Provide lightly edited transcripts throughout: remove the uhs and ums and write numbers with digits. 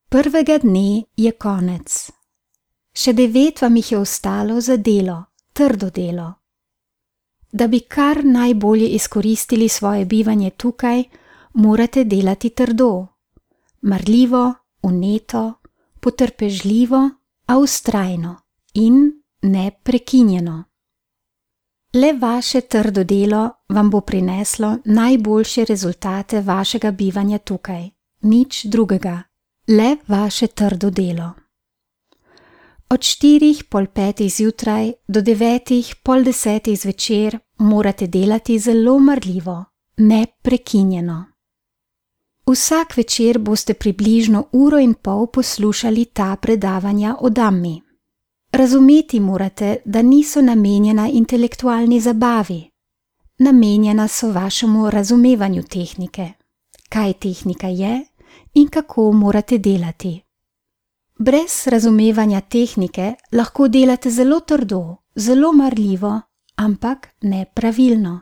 Prvega dne je konec. Še 9 vam jih je ostalo za delo, trdo delo. Da bi kar najbolje izkoristili svoje bivanje tukaj, morate delati trdo, marljivo, vneto, potrpežljivo, a vztrajno in neprekinjeno. Le vaše trdo delo vam bo prineslo najboljše rezultate vašega bivanja tukaj, nič drugega, le vaše trdo delo. Od 4:30 zjutraj do 9:30 zvečer morate delati zelo marljivo, neprekinjeno. Vsak večer boste približno 1,5 ure poslušali ta predavanja o Dhammi. Razumeti morate, da niso namenjena intelektualni zabavi. Namenjena so vašemu razumevanju tehnike, kaj tehnika je in kako morate delati. Brez razumevanja tehnike lahko delate zelo trdo, zelo marljivo, ampak nepravilno.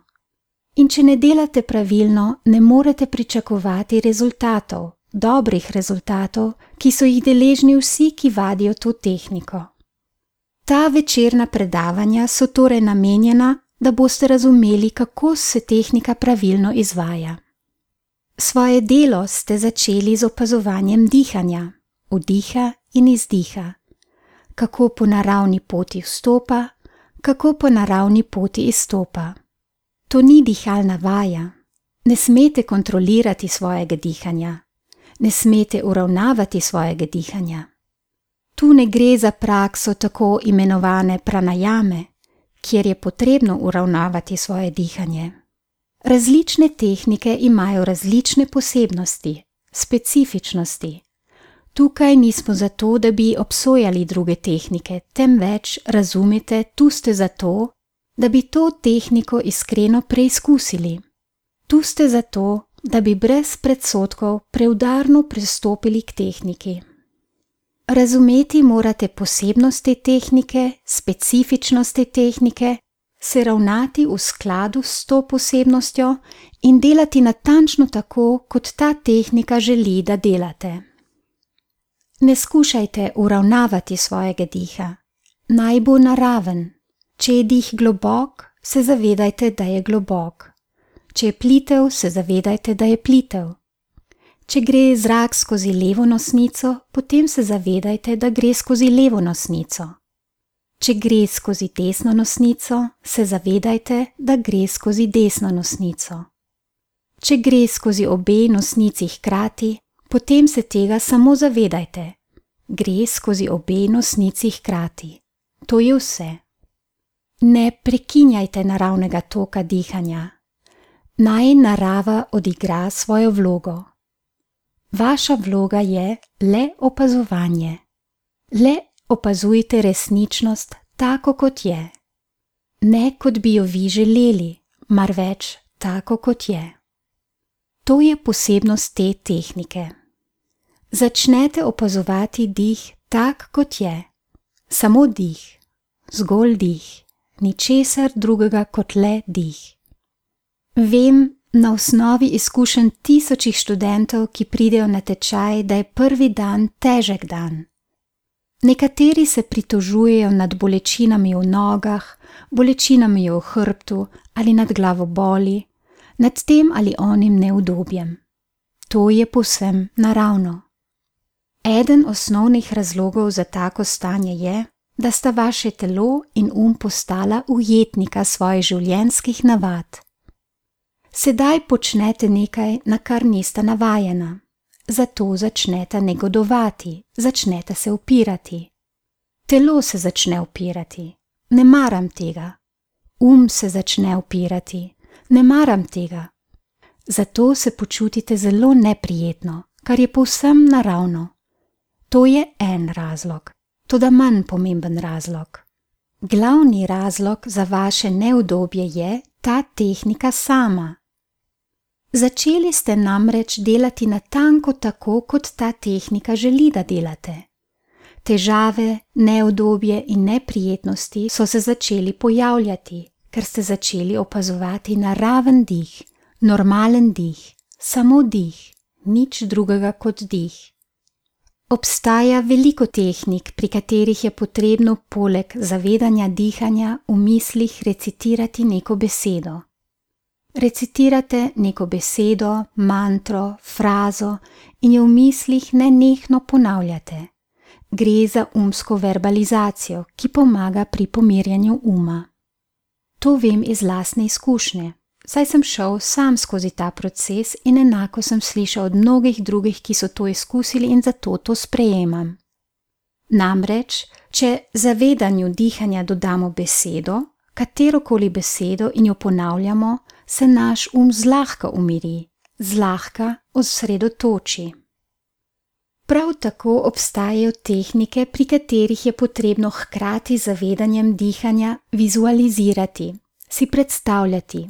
In če ne delate pravilno, ne morete pričakovati rezultatov, dobrih rezultatov, ki so jih deležni vsi, ki vadijo to tehniko. Ta večerna predavanja so torej namenjena, da boste razumeli, kako se tehnika pravilno izvaja. Svoje delo ste začeli z opazovanjem dihanja, vdiha in izdiha, kako po naravni poti vstopa, kako po naravni poti izstopa. To ni dihalna vaja. Ne smete kontrolirati svojega dihanja. Ne smete uravnavati svojega dihanja. Tu ne gre za prakso tako imenovane pranajame, kjer je potrebno uravnavati svoje dihanje. Različne tehnike imajo različne posebnosti, specifičnosti. Tukaj nismo zato, da bi obsojali druge tehnike, temveč razumite, tu ste zato, da bi to tehniko iskreno preizkusili. Tu ste zato, da bi brez predsodkov preudarno pristopili k tehniki. Razumeti morate posebnosti tehnike, specifičnosti tehnike, se ravnati v skladu s to posebnostjo in delati natančno tako, kot ta tehnika želi, da delate. Ne skušajte uravnavati svojega diha. Naj bo naraven. Če je dih globok, se zavedajte, da je globok. Če je plitev, se zavedajte, da je plitev. Če gre zrak skozi levo nosnico, potem se zavedajte, da gre skozi levo nosnico. Če gre skozi desno nosnico, se zavedajte, da gre skozi desno nosnico. Če gre skozi obe nosnici hkrati, potem se tega samo zavedajte. Gre skozi obe nosnici hkrati. To je vse. Ne prekinjajte naravnega toka dihanja. Naj narava odigra svojo vlogo. Vaša vloga je le opazovanje. Le opazujte resničnost tako, kot je. Ne kot bi jo vi želeli, marveč tako, kot je. To je posebnost te tehnike. Začnete opazovati dih tak, kot je. Samo dih, zgolj dih. Ničesar drugega kot le dih. Vem na osnovi izkušenj tisočih študentov, ki pridejo na tečaj, da je prvi dan težek dan. Nekateri se pritožujejo nad bolečinami v nogah, bolečinami v hrbtu ali nad glavoboli, nad tem ali onim neudobjem. To je povsem naravno. Eden osnovnih razlogov za tako stanje je, da sta vaše telo in postala ujetnika svojih življenjskih navad. Sedaj počnete nekaj, na kar nista navajena. Zato začnete negodovati, začnete se upirati. Telo se začne upirati. Ne maram tega. Se začne upirati. Ne maram tega. Zato se počutite zelo neprijetno, kar je povsem naravno. To je en razlog. Toda manj pomemben razlog. Glavni razlog za vaše neudobje je ta tehnika sama. Začeli ste namreč delati natanko tako, kot ta tehnika želi, da delate. Težave, neudobje in neprijetnosti so se začeli pojavljati, ker ste začeli opazovati naraven dih, normalen dih, samo dih, nič drugega kot dih. Obstaja veliko tehnik, pri katerih je potrebno poleg zavedanja dihanja v mislih recitirati neko besedo. Recitirate neko besedo, mantro, frazo in jo v mislih nenehno ponavljate. Gre za umsko verbalizacijo, ki pomaga pri pomirjanju uma. To vem iz lastne izkušnje, saj sem šel sam skozi ta proces in enako sem slišal od mnogih drugih, ki so to izkusili in zato to sprejemam. Namreč, če zavedanju dihanja dodamo besedo, katerokoli besedo in jo ponavljamo, se naš zlahka umiri, zlahka osredotoči. Prav tako obstajajo tehnike, pri katerih je potrebno hkrati z zavedanjem dihanja vizualizirati, si predstavljati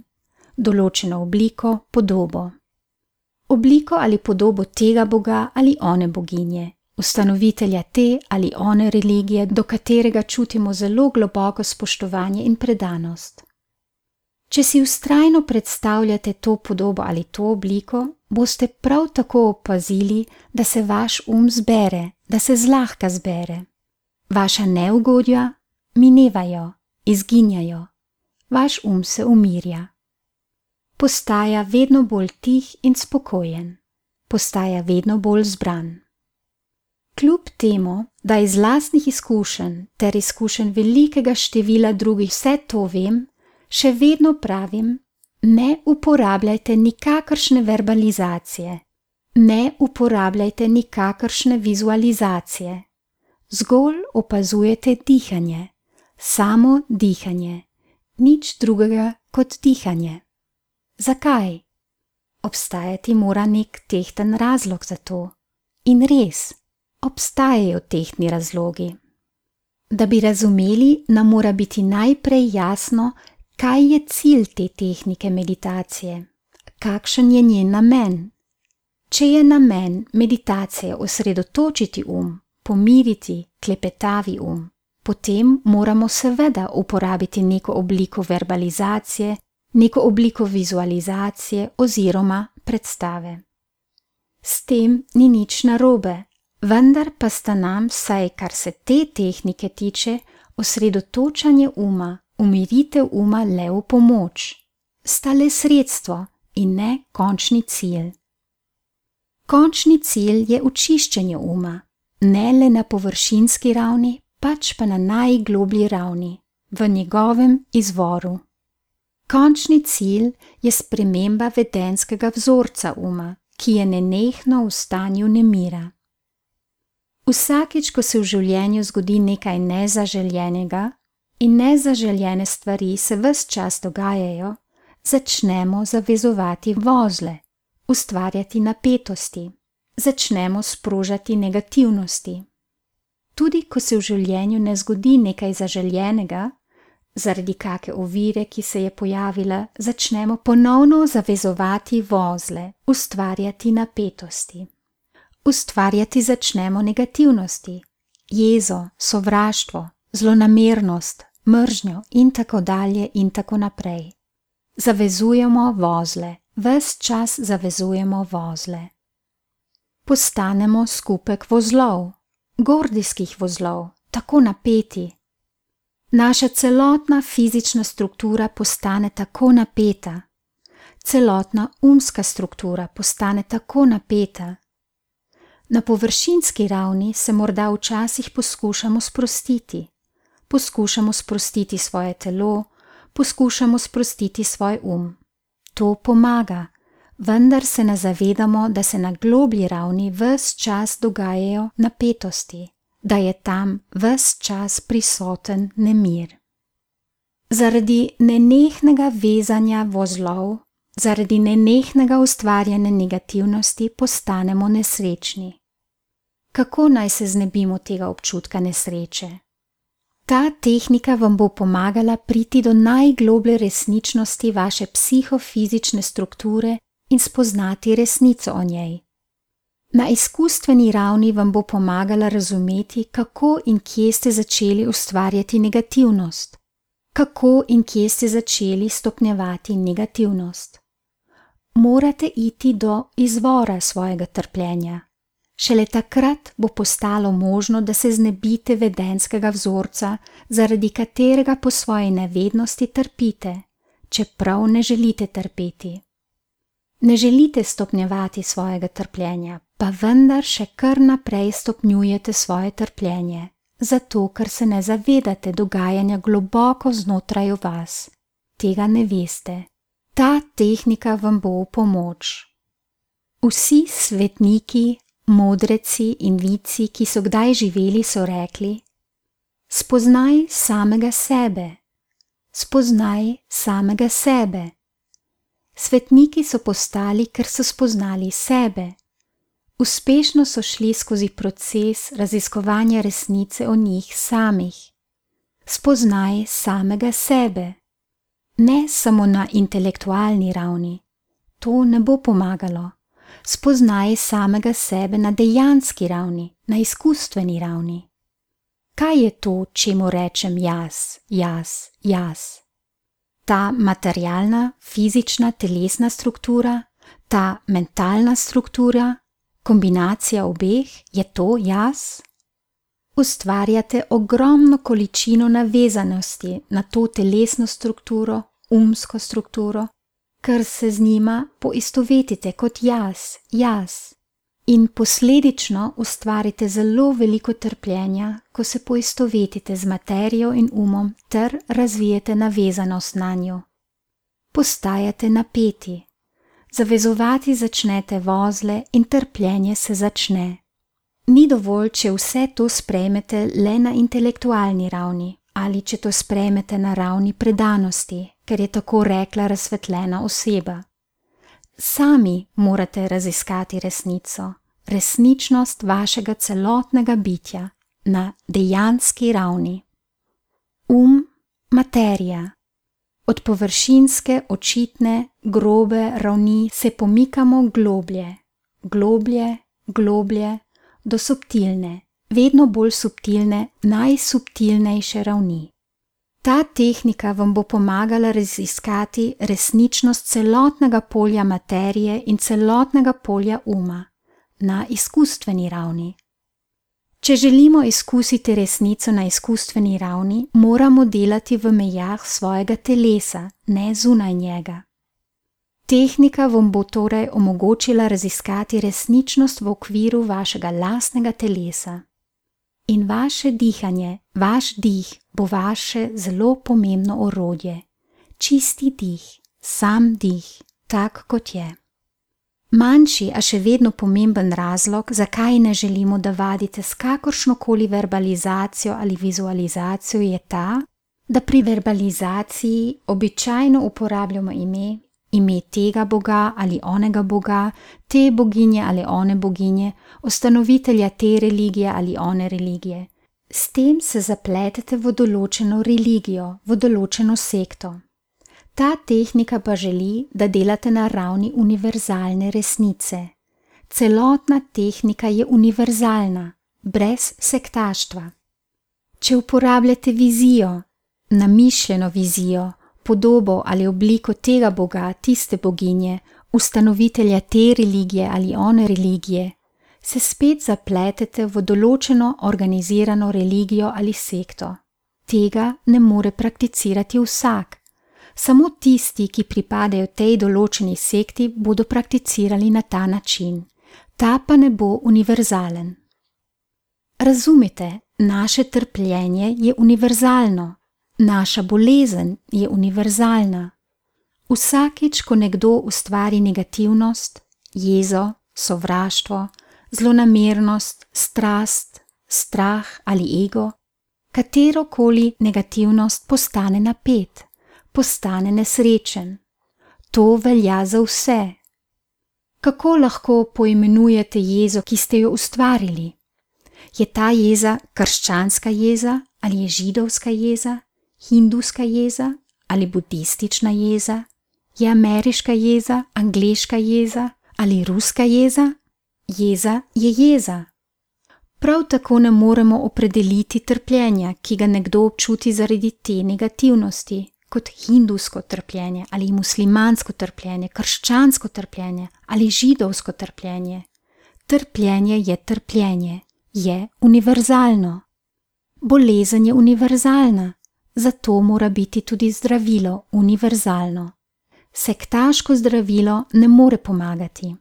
določeno obliko, podobo. Obliko ali podobo tega boga ali one boginje, ustanovitelja te ali one religije, do katerega čutimo zelo globoko spoštovanje in predanost. Če si vztrajno predstavljate to podobo ali to obliko, boste prav tako opazili, da se vaš zbere, da se zlahka zbere. Vaša neugodja minevajo, izginjajo, vaš se umirja. Postaja vedno bolj tih in spokojen, postaja vedno bolj zbran. Kljub temu, da iz lastnih izkušenj ter izkušenj velikega števila drugih vse to vem, še vedno pravim, ne uporabljajte nikakršne verbalizacije, ne uporabljajte nikakršne vizualizacije. Zgolj opazujete dihanje, samo dihanje, nič drugega kot dihanje. Zakaj? Obstajati mora nek tehten razlog za to. In res, obstajajo tehtni razlogi. Da bi razumeli, nam mora biti najprej jasno, kaj je cilj te tehnike meditacije, kakšen je njen namen. Če je namen meditacije osredotočiti pomiriti klepetavi potem moramo seveda uporabiti neko obliko verbalizacije, neko obliko vizualizacije oziroma predstave. S tem ni nič narobe, vendar pa sta nam, vsaj kar se te tehnike tiče, osredotočanje umiritev le v pomoč. Sta le sredstvo in ne končni cilj. Končni cilj je očiščenje ne le na površinski ravni, pač pa na najgloblji ravni, v njegovem izvoru. Končni cilj je sprememba vedenjskega vzorca ki je nenehno v stanju nemira. Vsakič, ko se v življenju zgodi nekaj nezaželjenega, in nezaželjene stvari se ves čas dogajajo, začnemo zavezovati vozle, ustvarjati napetosti, začnemo sprožati negativnosti. Tudi ko se v življenju ne zgodi nekaj zaželjenega, zaradi kake ovire, ki se je pojavila, začnemo ponovno zavezovati vozle, ustvarjati napetosti. Ustvarjati začnemo negativnosti, jezo, sovraštvo, zlonamernost, mržnjo in tako dalje in tako naprej. Zavezujemo vozle, ves čas zavezujemo vozle. Postanemo skupek vozlov, gordijskih vozlov, tako napeti. Naša celotna fizična struktura postane tako napeta, celotna umska struktura postane tako napeta. Na površinski ravni se morda včasih poskušamo sprostiti svoje telo, poskušamo sprostiti svoj To pomaga, vendar se ne zavedamo, da se na globlji ravni ves čas dogajajo napetosti, da je tam ves čas prisoten nemir. Zaradi nenehnega vezanja vozlov, zaradi nenehnega ustvarjanja negativnosti postanemo nesrečni. Kako naj se znebimo tega občutka nesreče? Ta tehnika vam bo pomagala priti do najgloblje resničnosti vaše psihofizične strukture in spoznati resnico o njej. Na izkustveni ravni vam bo pomagala razumeti, kako in kje ste začeli ustvarjati negativnost, kako in kje ste začeli stopnjevati negativnost. Morate iti do izvora svojega trpljenja, Šele takrat bo postalo možno, da se znebite vedenjskega vzorca, zaradi katerega po svoji nevednosti trpite, čeprav ne želite trpeti. Ne želite stopnjevati svojega trpljenja, pa vendar še kar naprej stopnjujete svoje trpljenje, zato ker se ne zavedate dogajanja globoko znotraj vas. Tega ne veste. Ta tehnika vam bo v pomoč. Vsi svetniki, modreci in vici, ki so kdaj živeli, so rekli: spoznaj samega sebe, spoznaj samega sebe. Svetniki so postali, ker so spoznali sebe. Uspešno so šli skozi proces raziskovanja resnice o njih samih. Spoznaj samega sebe. Ne samo na intelektualni ravni. To ne bo pomagalo. Spoznaj samega sebe na dejanski ravni, na izkustveni ravni. Kaj je to, čemu rečem jaz, jaz, jaz? Ta materialna, fizična, telesna struktura, ta mentalna struktura, kombinacija obeh, je to jaz? Ustvarjate ogromno količino navezanosti na to telesno strukturo, umsko strukturo, ker se z njima poistovetite kot jaz, jaz. In posledično ustvarite zelo veliko trpljenja, ko se poistovetite z materijo in umom ter razvijete navezanost na njo. Postajate napeti. Zavezovati začnete vozle in trpljenje se začne. Ni dovolj, če vse to sprejmete le na intelektualni ravni ali če to sprejmete na ravni predanosti, ker je tako rekla razsvetljena oseba. Sami morate raziskati resnico, resničnost vašega celotnega bitja na dejanski ravni. Materija. Od površinske, očitne, grobe ravni se pomikamo globlje, globlje, globlje, do subtilne, vedno bolj subtilne, najsubtilnejše ravni. Ta tehnika vam bo pomagala raziskati resničnost celotnega polja materije in celotnega polja uma na izkustveni ravni. Če želimo izkusiti resnico na izkustveni ravni, moramo delati v mejah svojega telesa, ne zunaj njega. Tehnika vam bo torej omogočila raziskati resničnost v okviru vašega lastnega telesa. In vaše dihanje, vaš dih bo vaše zelo pomembno orodje. Čisti dih, sam dih, tak kot je. Manjši, a še vedno pomemben razlog, zakaj ne želimo, da vadite s kakršnokoli verbalizacijo ali vizualizacijo, je ta, da pri verbalizaciji običajno uporabljamo ime tega boga ali onega boga, te boginje ali one boginje, ustanovitelja te religije ali one religije. S tem se zapletete v določeno religijo, v določeno sekto. Ta tehnika pa želi, da delate na ravni univerzalne resnice. Celotna tehnika je univerzalna, brez sektaštva. Če uporabljate vizijo, namišljeno vizijo, podobo ali obliko tega boga, tiste boginje, ustanovitelja te religije ali one religije, se spet zapletete v določeno organizirano religijo ali sekto. Tega ne more prakticirati vsak. Samo tisti, ki pripadajo tej določeni sekti, bodo prakticirali na ta način. Ta pa ne bo univerzalen. Razumite, naše trpljenje je univerzalno. Naša bolezen je univerzalna. Vsakič, ko nekdo ustvari negativnost, jezo, sovraštvo, zlonamernost, strast, strah ali ego, katerokoli negativnost postane napet, postane nesrečen. To velja za vse. Kako lahko poimenujete jezo, ki ste jo ustvarili? Je ta jeza krščanska jeza ali je židovska jeza? Hindujska jeza ali budistična jeza, je ameriška jeza, angleška jeza ali ruska jeza? Jeza je jeza. Prav tako ne moremo opredeliti trpljenja, ki ga nekdo občuti zaradi te negativnosti, kot hindujsko trpljenje ali muslimansko trpljenje, krščansko trpljenje ali židovsko trpljenje. Trpljenje je trpljenje, je univerzalno. Bolezen je univerzalna, zato mora biti tudi zdravilo univerzalno. Sektaško zdravilo ne more pomagati.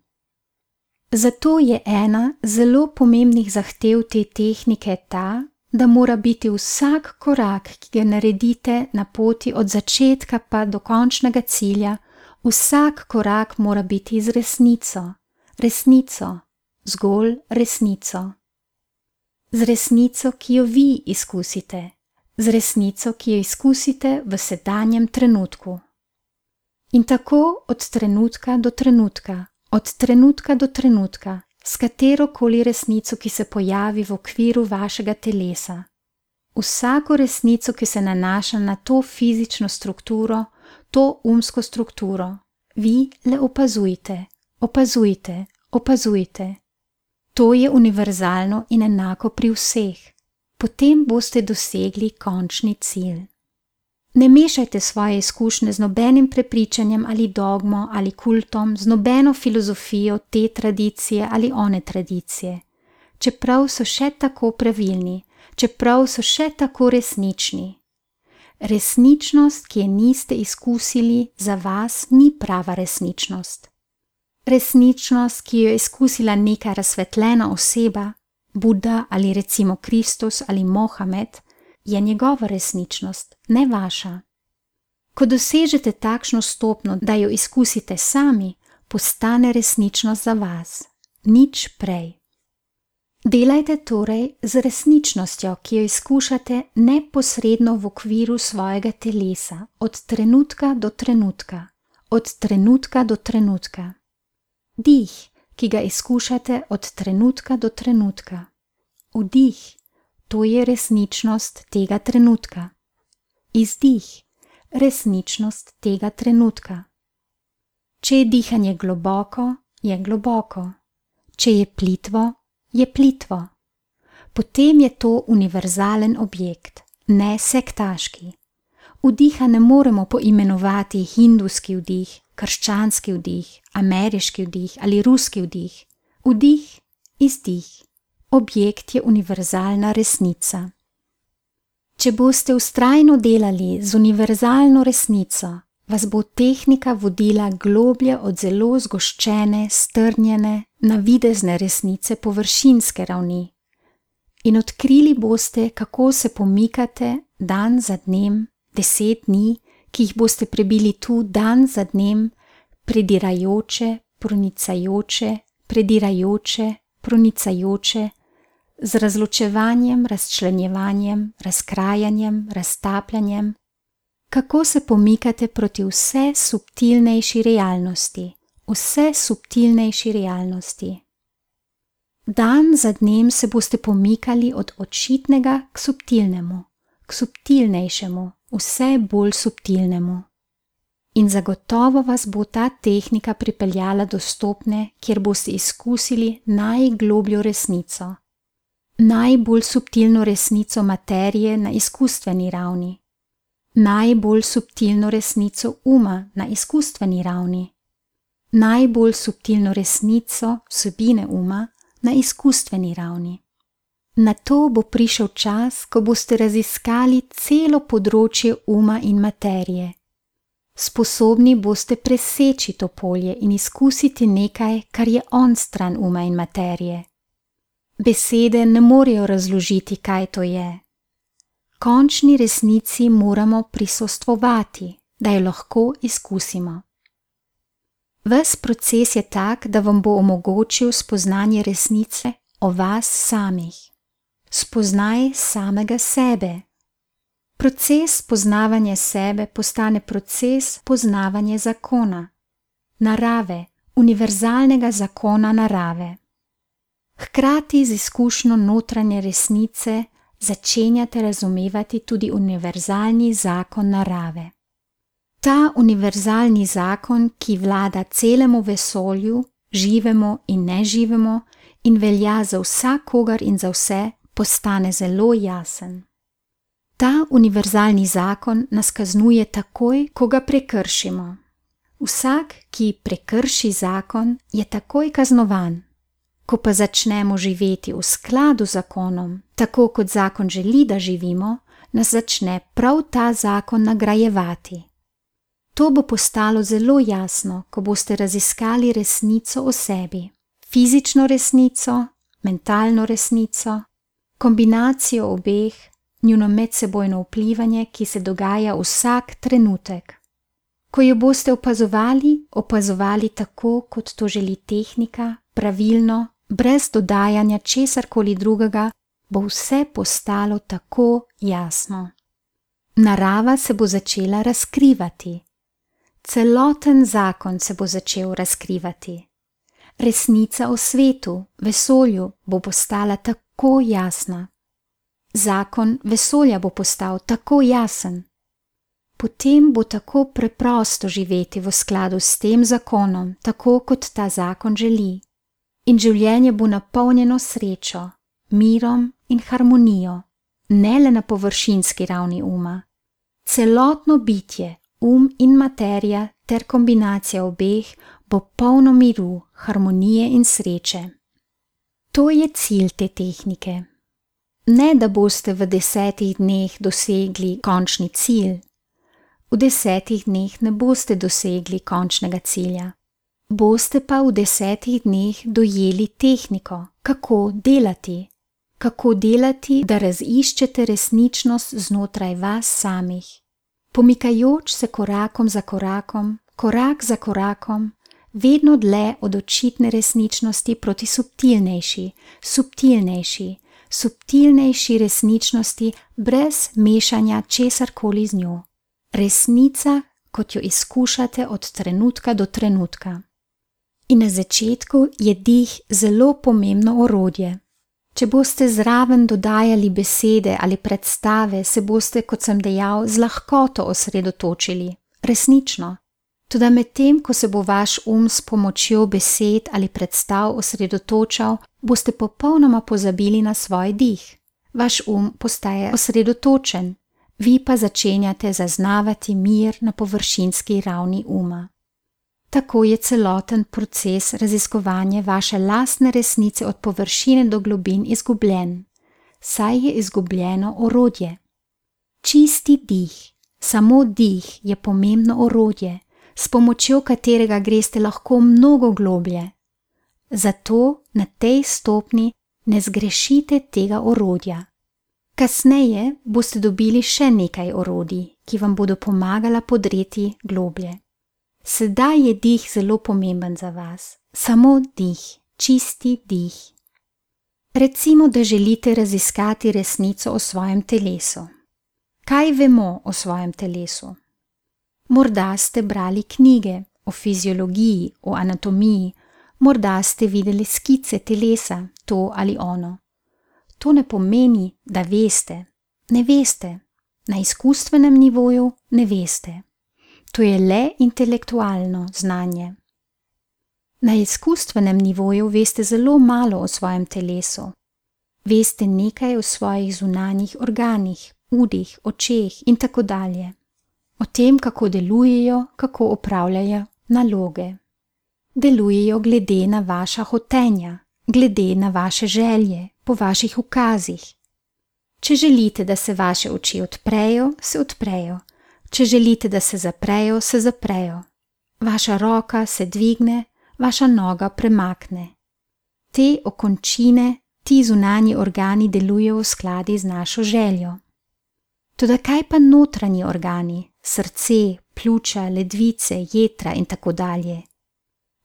Zato je ena zelo pomembnih zahtev te tehnike ta, da mora biti vsak korak, ki ga naredite na poti od začetka pa do končnega cilja, vsak korak mora biti z resnico, zgolj resnico. Z resnico, ki jo vi izkusite, z resnico, ki jo izkusite v sedanjem trenutku. In tako od trenutka do trenutka, s katerokoli resnico, ki se pojavi v okviru vašega telesa. Vsako resnico, ki se nanaša na to fizično strukturo, to umsko strukturo, vi le opazujte. To je univerzalno in enako pri vseh. Potem boste dosegli končni cilj. Ne mešajte svoje izkušnje z nobenim prepričanjem ali dogmo ali kultom, z nobeno filozofijo te tradicije ali one tradicije, čeprav so še tako pravilni, čeprav so še tako resnični. Resničnost, ki je niste izkusili, za vas ni prava resničnost. Resničnost, ki jo je izkusila neka razsvetljena oseba, Buda ali recimo Kristus ali Mohamed, je njegova resničnost, ne vaša. Ko dosežete takšno stopnjo, da jo izkusite sami, postane resničnost za vas, nič prej. Delajte torej z resničnostjo, ki jo izkušate neposredno v okviru svojega telesa, od trenutka do trenutka. Dih, ki ga izkušate od trenutka do trenutka. Vdih, to je resničnost tega trenutka. Izdih, resničnost tega trenutka. Če je dihanje globoko, je globoko. Če je plitvo, je plitvo. Potem je to univerzalen objekt, ne sektaški. Vdiha ne moremo poimenovati hindujski vdih, krščanski vdih, ameriški vdih ali ruski vdih. Vdih, izdih. Objekt je univerzalna resnica. Če boste vztrajno delali z univerzalno resnico, vas bo tehnika vodila globlje od zelo zgoščene, strnjene, navidezne resnice površinske ravni. In odkrili boste, kako se pomikate dan za dnem, 10 dni, ki jih boste prebili tu dan za dnem, pronicajoče, z razločevanjem, razčlenjevanjem, razkrajanjem, raztapljanjem, kako se pomikate proti vse subtilnejši realnosti. Dan za dnem se boste pomikali od očitnega k subtilnejšemu, vse bolj subtilnemu. In zagotovo vas bo ta tehnika pripeljala do stopnje, kjer boste izkusili najglobljo resnico, najbolj subtilno resnico materije na izkustveni ravni, najbolj subtilno resnico uma na izkustveni ravni, najbolj subtilno resnico vsebine uma na izkustveni ravni. Nato bo prišel čas, ko boste raziskali celo področje uma in materije. Sposobni boste preseči to polje in izkusiti nekaj, kar je onstran uma in materije. Besede ne morejo razložiti, kaj to je. Končni resnici moramo prisostvovati, da jo lahko izkusimo. Ves proces je tak, da vam bo omogočil spoznanje resnice o vas samih. Spoznaj samega sebe. Proces poznavanja sebe postane proces poznavanja zakona, narave, univerzalnega zakona narave. Hkrati z izkušnjo notranje resnice začenjate razumevati tudi univerzalni zakon narave. Ta univerzalni zakon, ki vlada celemu vesolju, živemu in neživemu in velja za vsakogar in za vse, postane zelo jasen. Ta univerzalni zakon nas kaznuje takoj, ko ga prekršimo. Vsak, ki prekrši zakon, je takoj kaznovan. Ko pa začnemo živeti v skladu z zakonom, tako kot zakon želi, da živimo, nas začne prav ta zakon nagrajevati. To bo postalo zelo jasno, ko boste raziskali resnico o sebi, fizično resnico, mentalno resnico, kombinacijo obeh, njuno medsebojno vplivanje, ki se dogaja vsak trenutek. Ko jo boste opazovali tako, kot to želi tehnika, pravilno, brez dodajanja česarkoli drugega, bo vse postalo tako jasno. Narava se bo začela razkrivati. Celoten zakon se bo začel razkrivati. Resnica o svetu, vesolju bo postala tako jasna. Zakon vesolja bo postal tako jasen. Potem bo tako preprosto živeti v skladu s tem zakonom, tako kot ta zakon želi. In življenje bo napolnjeno srečo, mirom in harmonijo, ne le na površinski ravni uma. Celotno bitje, in materija ter kombinacija obeh bo polno miru, harmonije in sreče. To je cilj te tehnike. Ne, da boste v 10 dneh dosegli končni cilj. V 10 dneh ne boste dosegli končnega cilja. Boste pa v 10 dneh dojeli tehniko, kako delati, da raziščete resničnost znotraj vas samih. Pomikajoč se korakom za korakom, korak za korakom, vedno dlje od očitne resničnosti proti subtilnejši resničnosti brez mešanja česarkoli z njo. Resnica, kot jo izkušate od trenutka do trenutka. In na začetku je dih zelo pomembno orodje. Če boste zraven dodajali besede ali predstave, se boste, kot sem dejal, z lahkoto osredotočili, resnično. Toda medtem, ko se bo vaš s pomočjo besed ali predstav osredotočal, boste popolnoma pozabili na svoj dih. Vaš postaje osredotočen, vi pa začenjate zaznavati mir na površinski ravni uma. Tako je celoten proces raziskovanja vaše lastne resnice od površine do globin izgubljen, saj je izgubljeno orodje. Čisti dih, samo dih je pomembno orodje, s pomočjo katerega greste lahko mnogo globlje. Zato na tej stopni ne zgrešite tega orodja. Kasneje boste dobili še nekaj orodij, ki vam bodo pomagala podreti globlje. Sedaj je dih zelo pomemben za vas. Samo dih, čisti dih. Recimo, da želite raziskati resnico o svojem telesu. Kaj vemo o svojem telesu? Morda ste brali knjige o fiziologiji, o anatomiji, morda ste videli skice telesa, to ali ono. To ne pomeni, da veste. Ne veste. Na izkustvenem nivoju ne veste. To je le intelektualno znanje. Na izkustvenem nivoju veste zelo malo o svojem telesu. Veste nekaj o svojih zunanjih organih, udih, očeh in tako dalje. O tem, kako delujejo, kako opravljajo naloge. Delujejo glede na vaša hotenja, glede na vaše želje, po vaših ukazih. Če želite, da se vaše oči odprejo, se odprejo. Če želite, da se zaprejo, se zaprejo. Vaša roka se dvigne, vaša noga premakne. Te okončine, ti zunanji organi delujejo v skladu z našo željo. Toda kaj pa notranji organi, srce, pljuča, ledvice, jetra in tako dalje?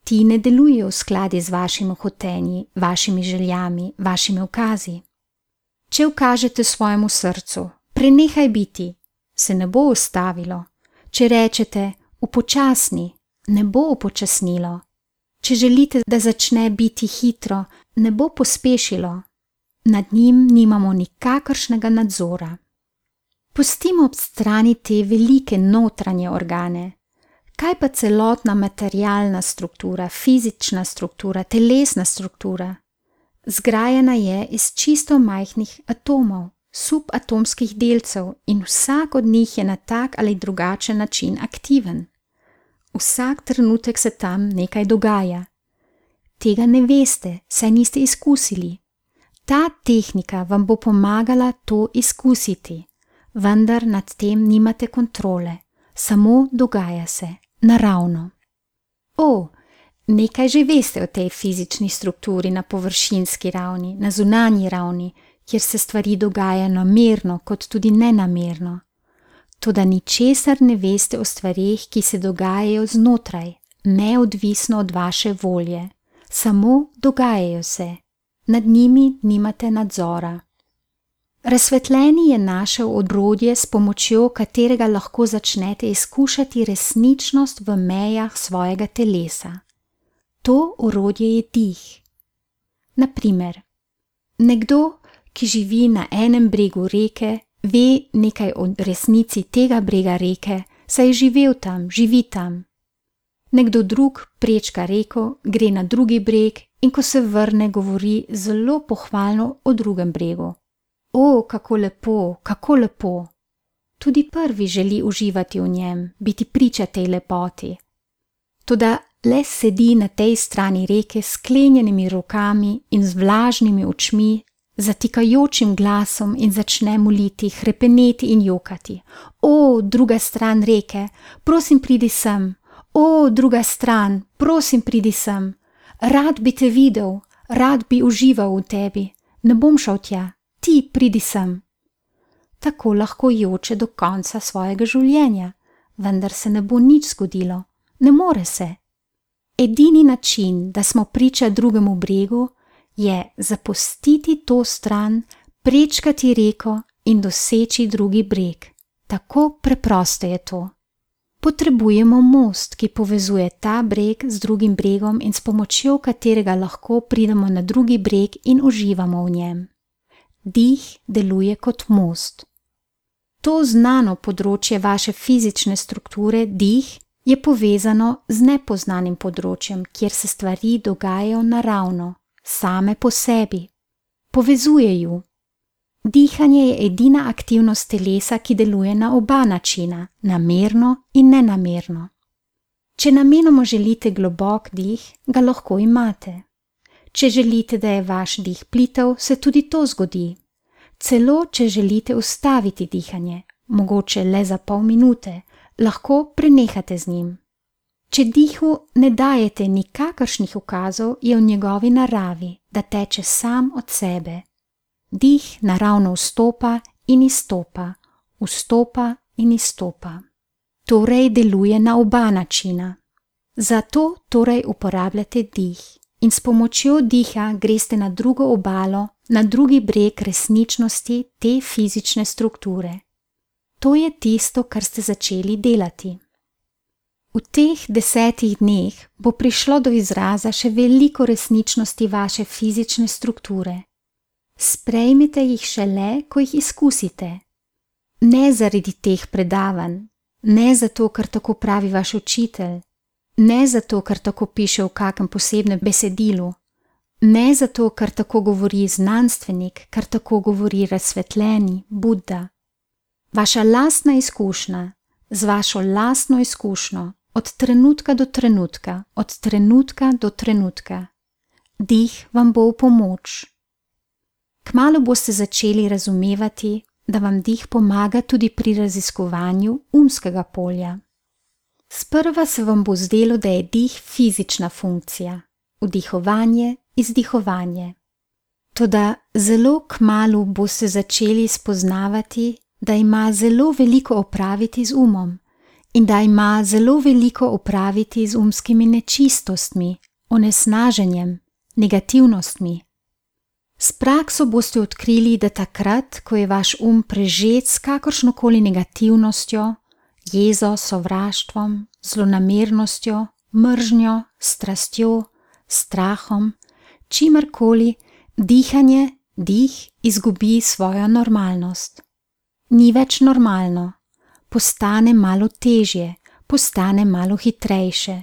Ti ne delujejo v skladu z vašimi hotenji, vašimi željami, vašimi ukazi. Če ukažete svojemu srcu, prenehaj biti, se ne bo ustavilo. Če rečete, upočasni, ne bo upočasnilo. Če želite, da začne biti hitro, ne bo pospešilo. Nad njim nimamo nikakršnega nadzora. Pustimo ob strani te velike notranje organe. Kaj pa celotna materialna struktura, fizična struktura, telesna struktura? Zgrajena je iz čisto majhnih atomov, subatomskih delcev in vsak od njih je na tak ali drugačen način aktiven. Vsak trenutek se tam nekaj dogaja. Tega ne veste, saj niste izkusili. Ta tehnika vam bo pomagala to izkusiti, vendar nad tem nimate kontrole, samo dogaja se, naravno. Nekaj že veste o tej fizični strukturi na površinski ravni, na zunanji ravni, kjer se stvari dogajajo namerno kot tudi nenamerno. Toda ničesar ne veste o stvareh, ki se dogajajo znotraj, neodvisno od vaše volje, samo dogajajo se. Nad njimi nimate nadzora. Razsvetljeni je našel orodje, s pomočjo katerega lahko začnete izkušati resničnost v mejah svojega telesa. To orodje je dih. Na primer, nekdo, ki živi na enem bregu reke, ve nekaj o resnici tega brega reke, saj je živel tam, živi tam. Nekdo drug prečka reko, gre na drugi breg in ko se vrne, govori zelo pohvalno o drugem bregu. Kako lepo, kako lepo. Tudi prvi želi uživati v njem, biti priča tej lepoti. Toda le sedi na tej strani reke s sklenjenimi rokami in z vlažnimi očmi, zatikajočim glasom in začne moliti, hrepeneti in jokati. Druga stran reke, prosim pridi sem. Druga stran, prosim pridi sem. Rad bi te videl, rad bi užival v tebi. Ne bom šel tja, ti pridi sem. Tako lahko joče do konca svojega življenja, vendar se ne bo nič zgodilo. Ne more se. Edini način, da smo priča drugemu bregu, je zapustiti to stran, prečkati reko in doseči drugi breg. Tako preprosto je to. Potrebujemo most, ki povezuje ta breg z drugim bregom in s pomočjo katerega lahko pridemo na drugi breg in uživamo v njem. Dih deluje kot most. To znano področje vaše fizične strukture, dih, je povezano z nepoznanim področjem, kjer se stvari dogajajo naravno, same po sebi. Povezuje ju. Dihanje je edina aktivnost telesa, ki deluje na oba načina, namerno in nenamerno. Če namenoma želite globok dih, ga lahko imate. Če želite, da je vaš dih plitev, se tudi to zgodi. Celo, če želite ustaviti dihanje, mogoče le za pol minute, lahko prenehate z njim. Če dihu ne dajete nikakršnih ukazov, je v njegovi naravi, da teče sam od sebe. Dih naravno vstopa in izstopa, vstopa in izstopa. Torej deluje na oba načina. Zato torej uporabljate dih in s pomočjo diha greste na drugo obalo, na drugi breg resničnosti te fizične strukture. To je tisto, kar ste začeli delati. V teh 10 dneh bo prišlo do izraza še veliko resničnosti vaše fizične strukture. Sprejmite jih šele, ko jih izkusite. Ne zaradi teh predavanj, ne zato, ker tako pravi vaš učitelj, ne zato, ker tako piše v kakem posebnem besedilu, ne zato, ker tako govori znanstvenik, ker tako govori razsvetljeni Buddha. Vaša lastna izkušnja, z vašo lastno izkušnjo, od trenutka do trenutka, od trenutka do trenutka. Dih vam bo v pomoč. Kmalu boste začeli razumevati, da vam dih pomaga tudi pri raziskovanju umskega polja. Sprva se vam bo zdelo, da je dih fizična funkcija, vdihovanje, izdihovanje. Toda zelo kmalu boste začeli spoznavati, da ima zelo veliko opraviti z umom in da ima zelo veliko opraviti z umskimi nečistostmi, onesnaženjem, negativnostmi. S prakso boste odkrili, da takrat, ko je vaš prežet s kakršnokoli negativnostjo, jezo, sovraštvom, zlonamernostjo, mržnjo, strastjo, strahom, čimerkoli, dihanje, dih izgubi svojo normalnost. Ni več normalno, postane malo težje, postane malo hitrejše.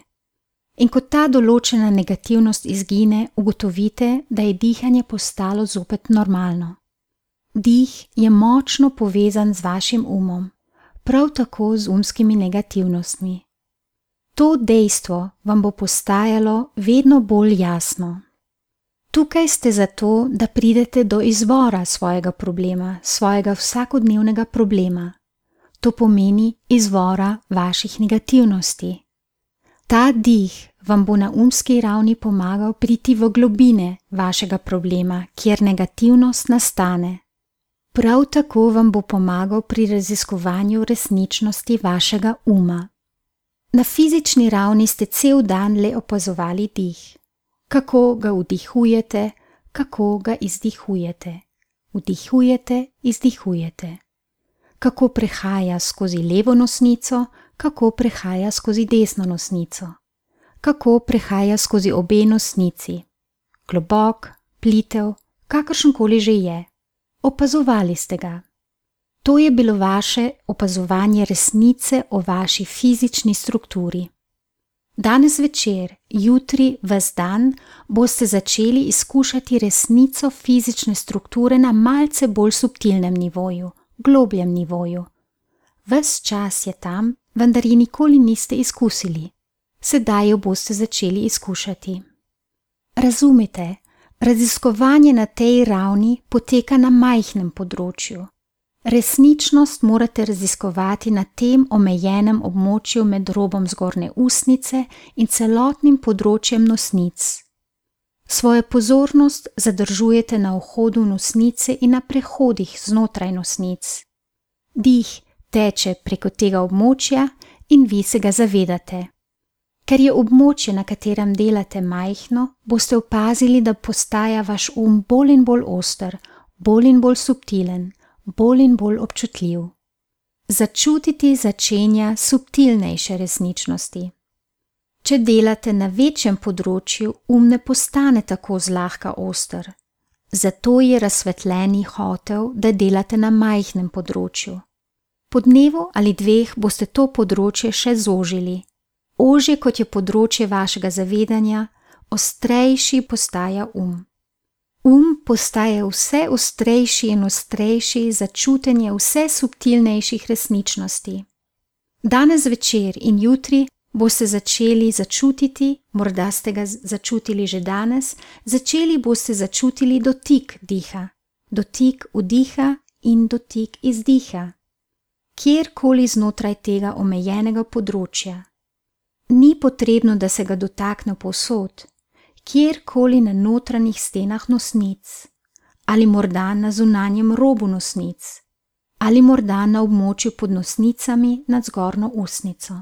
In ko ta določena negativnost izgine, ugotovite, da je dihanje postalo zopet normalno. Dih je močno povezan z vašim umom, prav tako z umskimi negativnostmi. To dejstvo vam bo postajalo vedno bolj jasno. Tukaj ste zato, da pridete do izvora svojega problema, svojega vsakodnevnega problema. To pomeni izvora vaših negativnosti. Ta dih vam bo na umski ravni pomagal priti v globine vašega problema, kjer negativnost nastane. Prav tako vam bo pomagal pri raziskovanju resničnosti vašega uma. Na fizični ravni ste cel dan le opazovali dih. Kako ga vdihujete, kako ga izdihujete. Vdihujete, izdihujete. Kako prehaja skozi levo nosnico, kako prehaja skozi desno nosnico. Kako prehaja skozi obe nosnici. Globok, plitev, kakršenkoli že je. Opazovali ste ga. To je bilo vaše opazovanje resnice o vaši fizični strukturi. Danes večer, jutri, ves dan boste začeli izkušati resnico fizične strukture na malce bolj subtilnem nivoju, globljem nivoju. Ves čas je tam, vendar ji nikoli niste izkusili. Sedaj jo boste začeli izkušati. Razumite, raziskovanje na tej ravni poteka na majhnem področju. Resničnost morate raziskovati na tem omejenem območju med robom zgornje usnice in celotnim področjem nosnic. Svojo pozornost zadržujete na vhodu nosnice in na prehodih znotraj nosnic. Dih teče preko tega območja in vi se ga zavedate. Ker je območje, na katerem delate, majhno, boste opazili, da postaja vaš bolj in bolj oster, bolj in bolj subtilen, bolj in bolj občutljiv. Začutiti začenja subtilnejše resničnosti. Če delate na večjem področju, ne postane tako zlahka oster. Zato je razsvetljeni hotel, da delate na majhnem področju. Po dnevu ali dveh boste to področje še zožili. Ožje kot je področje vašega zavedanja, ostrejši postaja postaje vse ostrejši in ostrejši za čutenje vse subtilnejših resničnosti. Danes večer in jutri boste začeli začutiti, morda ste ga začutili že danes, začeli boste začutili dotik diha, dotik vdiha in dotik izdiha, kjerkoli znotraj tega omejenega področja. Ni potrebno, da se ga dotakne povsod, kjerkoli na notranjih stenah nosnic, ali morda na zunanjem robu nosnic, ali morda na območju pod nosnicami nad zgornjo usnico.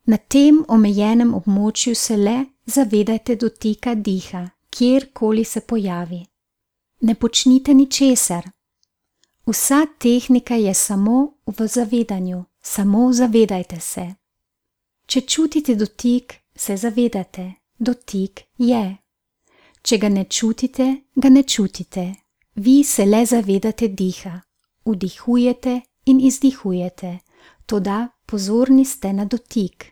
Na tem omejenem območju se le zavedajte dotika diha, kjerkoli se pojavi. Ne počnite ničesar. Vsa tehnika je samo v zavedanju, samo zavedajte se. Če čutite dotik, se zavedate, dotik je. Če ga ne čutite, ga ne čutite. Vi se le zavedate diha, vdihujete in izdihujete, toda pozorni ste na dotik.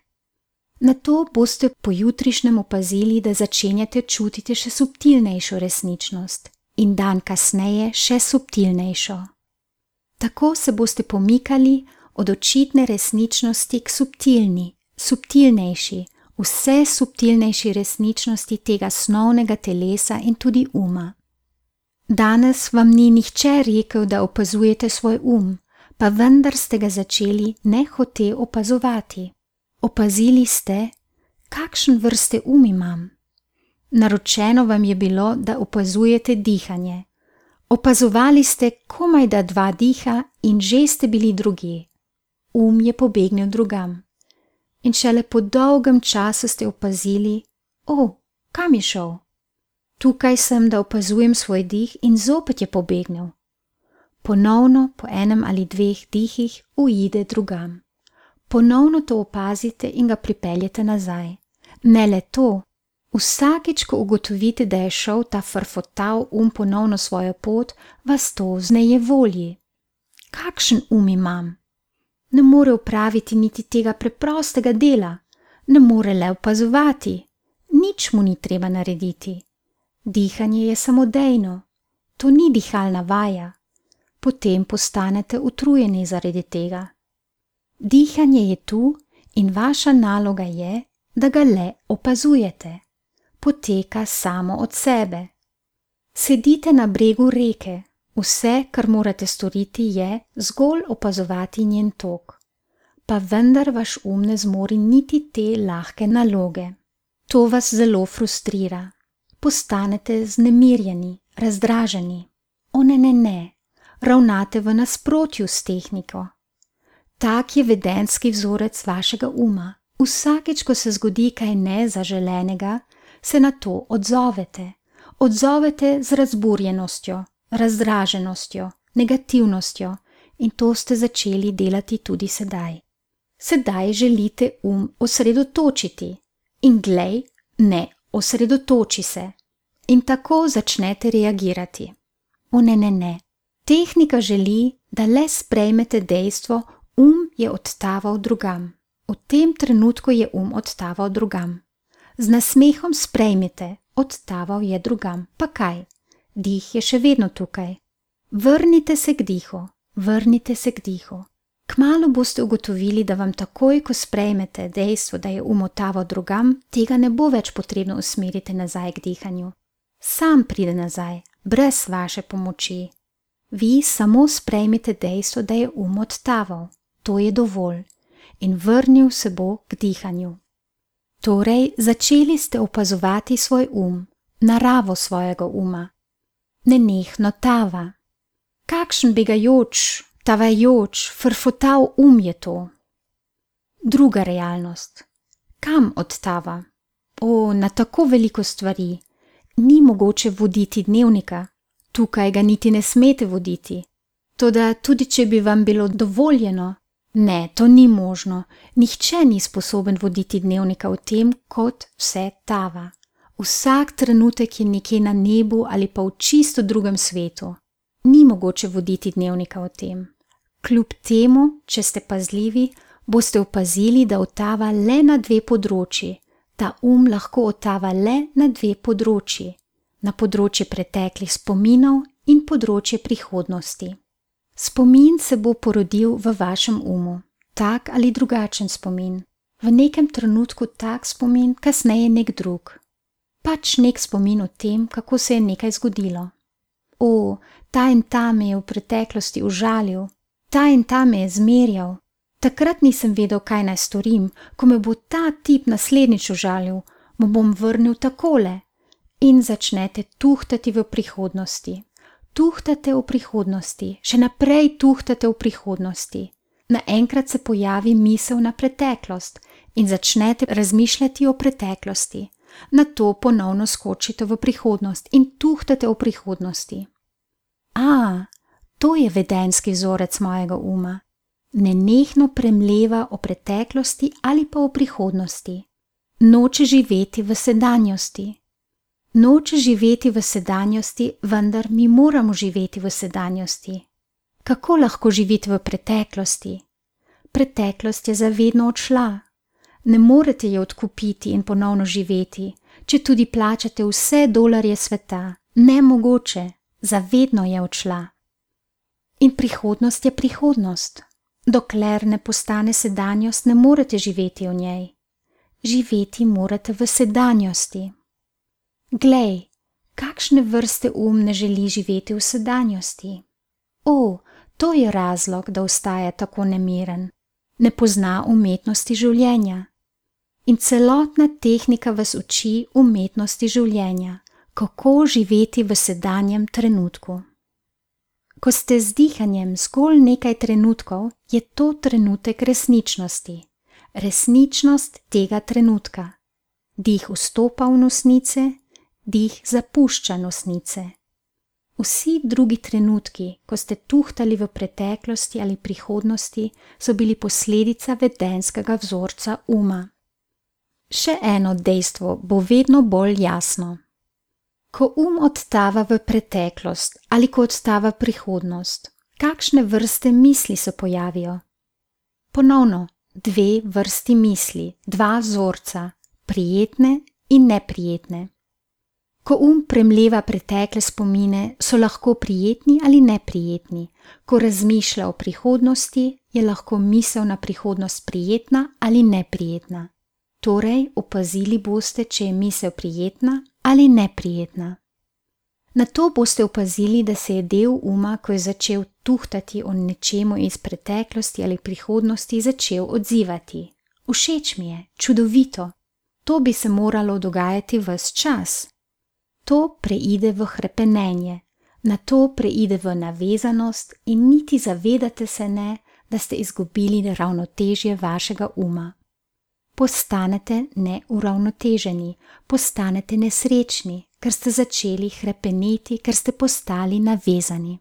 Nato boste pojutrišnjem opazili, da začenjate čutiti še subtilnejšo resničnost in dan kasneje še subtilnejšo. Tako se boste pomikali od očitne resničnosti k subtilnejši, vse subtilnejši resničnosti tega snovnega telesa in tudi uma. Danes vam ni nihče rekel, da opazujete svoj pa vendar ste ga začeli nehote opazovati. Opazili ste, kakšen vrste imam. Naročeno vam je bilo, da opazujete dihanje. Opazovali ste komajda 2 diha in že ste bili drugje. Je pobegnil drugam. In šele po dolgem času ste opazili, kam je šel? Tukaj sem, da opazujem svoj dih in zopet je pobegnil. Ponovno po 1 ali 2 dihih uide drugam. Ponovno to opazite in ga pripeljete nazaj. Ne le to, vsakič, ko ugotovite, da je šel ta frfotav ponovno svojo pot, vas to vznejevolji. Kakšen imam? Ne more opraviti niti tega preprostega dela, ne more le opazovati, nič mu ni treba narediti. Dihanje je samodejno, to ni dihalna vaja. Potem postanete utrujeni zaradi tega. Dihanje je tu in vaša naloga je, da ga le opazujete. Poteka samo od sebe. Sedite na bregu reke, vse, kar morate storiti, je zgolj opazovati njen tok. Pa vendar vaš ne zmori niti te lahke naloge. To vas zelo frustrira. Postanete vznemirjeni, razdraženi. O ne, ravnate v nasprotju s tehniko. Tak je vedenjski vzorec vašega Vsakič, ko se zgodi kaj nezaželenega, se na to odzovete. Odzovete z razburjenostjo, razdraženostjo, negativnostjo in to ste začeli delati tudi sedaj. Sedaj želite osredotočiti in glej, ne, osredotoči se. In tako začnete reagirati. O ne. Tehnika želi, da le sprejmete dejstvo, je odtaval drugam. V tem trenutku je odtaval drugam. Z nasmehom sprejmite, odtaval je drugam. Pa kaj? Dih je še vedno tukaj. Vrnite se k dihu, vrnite se k dihu. Kmalu boste ugotovili, da vam takoj, ko sprejmete dejstvo, da je odtaval drugam, tega ne bo več potrebno usmeriti nazaj k dihanju. Sam pride nazaj, brez vaše pomoči. Vi samo sprejmite dejstvo, da je odtaval. To je dovolj. In vrnil se bo k dihanju. Torej, začeli ste opazovati svoj naravo svojega Nenehno tava. Kakšen begajoč, tavajoč, frfotav je to. Druga realnost. Kam odtava? Na tako veliko stvari. Ni mogoče voditi dnevnika. Tukaj ga niti ne smete voditi. Toda tudi če bi vam bilo dovoljeno, ne, to ni možno. Nihče ni sposoben voditi dnevnika v tem, kot vse tava. Vsak trenutek je nekje na nebu ali pa v čisto drugem svetu. Ni mogoče voditi dnevnika v tem. Kljub temu, če ste pazljivi, boste opazili, da odtava le na dve področji. Ta lahko odtava le na dve področji. Na področje preteklih spominov in področje prihodnosti. Spomin se bo porodil v vašem tak ali drugačen spomin. V nekem trenutku tak spomin, kasneje nek drug. Pač nek spomin o tem, kako se je nekaj zgodilo. Ta in ta me je v preteklosti užalil, ta in ta me je zmerjal. Takrat nisem vedel, kaj naj storim, ko me bo ta tip naslednjič užalil, mu bom vrnil takole. In začnete tuhtati v prihodnosti. Tuhtate v prihodnosti, še naprej tuhtate v prihodnosti. Naenkrat se pojavi misel na preteklost in začnete razmišljati o preteklosti. Nato ponovno skočite v prihodnost in tuhtate v prihodnosti. To je vedenjski vzorec mojega Nenehno premleva o preteklosti ali pa o prihodnosti. Noče živeti v sedanjosti. Noče živeti v sedanjosti, vendar mi moramo živeti v sedanjosti. Kako lahko živite v preteklosti? Preteklost je zavedno odšla. Ne morete je odkupiti in ponovno živeti, če tudi plačate vse dolarje sveta. Nemogoče, zavedno je odšla. In prihodnost je prihodnost. Dokler ne postane sedanjost, ne morete živeti v njej. Živeti morate v sedanjosti. Glej, kakšne vrste ne želi živeti v sedanjosti? To je razlog, da ostaja tako nemiren. Ne pozna umetnosti življenja. In celotna tehnika vas uči umetnosti življenja, kako živeti v sedanjem trenutku. Ko ste z dihanjem zgolj nekaj trenutkov, je to trenutek resničnosti. Resničnost tega trenutka. Dih vstopa v nosnice, dih zapušča nosnice. Vsi drugi trenutki, ko ste tuhtali v preteklosti ali prihodnosti, so bili posledica vedenjskega vzorca Še eno dejstvo bo vedno bolj jasno. Ko odtava v preteklost ali ko odtava prihodnost, kakšne vrste misli se pojavijo? Ponovno, dve vrsti misli, dva vzorca, prijetne in neprijetne. Ko premleva pretekle spomine, so lahko prijetni ali neprijetni. Ko razmišlja o prihodnosti, je lahko misel na prihodnost prijetna ali neprijetna. Torej, opazili boste, če je misel prijetna ali neprijetna. Nato boste opazili, da se je del uma, ko je začel tuhtati o nečemu iz preteklosti ali prihodnosti, začel odzivati. Všeč mi je, čudovito. To bi se moralo dogajati ves čas. To preide v hrepenenje, nato preide v navezanost in niti zavedate se ne, da ste izgubili ravnotežje vašega uma. Postanete neuravnoteženi, postanete nesrečni, ker ste začeli hrepeneti, ker ste postali navezani.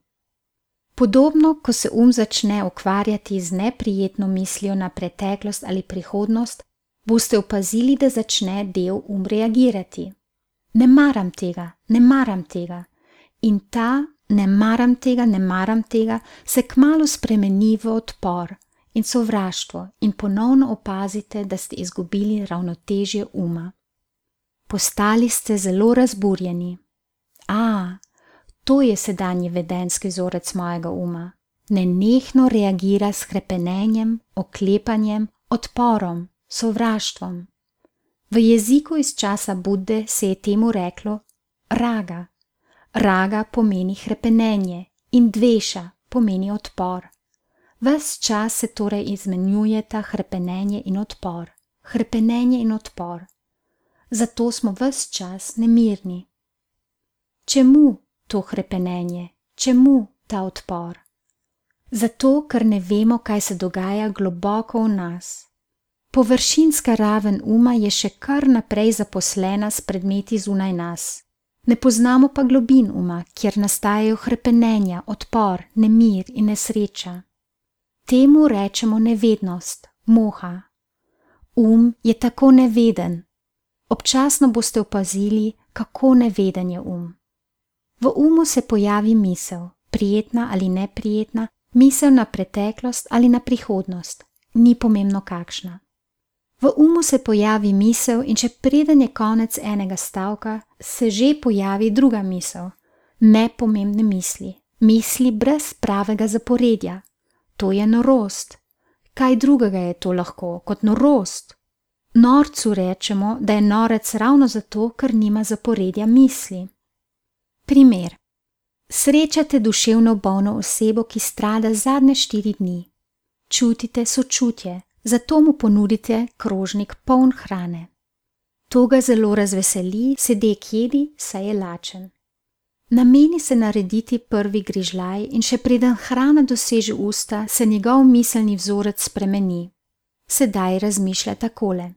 Podobno, ko se začne ukvarjati z neprijetno mislijo na preteklost ali prihodnost, boste opazili, da začne del reagirati. Ne maram tega, ne maram tega. In ta ne maram tega se kmalu spremeni v odpor in sovraštvo in ponovno opazite, da ste izgubili ravnotežje uma. Postali ste zelo razburjeni. To je sedanji vedenjski vzorec mojega uma. Nenehno reagira s hrepenenjem, oklepanjem, odporom, sovraštvom. V jeziku iz časa Budde se je temu reklo raga. Raga pomeni hrepenenje in dveša pomeni odpor. Ves čas se torej izmenjujeta hrepenenje in odpor. Hrepenenje in odpor. Zato smo ves čas nemirni. Čemu to hrepenenje? Čemu ta odpor? Zato, ker ne vemo, kaj se dogaja globoko v nas. Površinska raven uma je še kar naprej zaposlena s predmeti zunaj nas. Ne poznamo pa globin uma, kjer nastajajo hrepenenja, odpor, nemir in nesreča. Temu rečemo nevednost, moha. Je tako neveden. Občasno boste opazili, kako neveden je V umu se pojavi misel, prijetna ali neprijetna, misel na preteklost ali na prihodnost, ni pomembno kakšna. V umu se pojavi misel in če preden je konec enega stavka, se že pojavi druga misel. Nepomembne misli, misli brez pravega zaporedja. To je norost. Kaj drugega je to lahko kot norost? Norcu rečemo, da je norec ravno zato, ker nima zaporedja misli. Primer. Srečate duševno bolno osebo, ki strada zadnje 4 dni. Čutite sočutje, zato mu ponudite krožnik poln hrane. To ga zelo razveseli, sedek jedi, saj je lačen. Nameni se narediti prvi grižljaj in še preden hrana doseže usta, se njegov miselni vzorec spremeni. Sedaj razmišlja takole.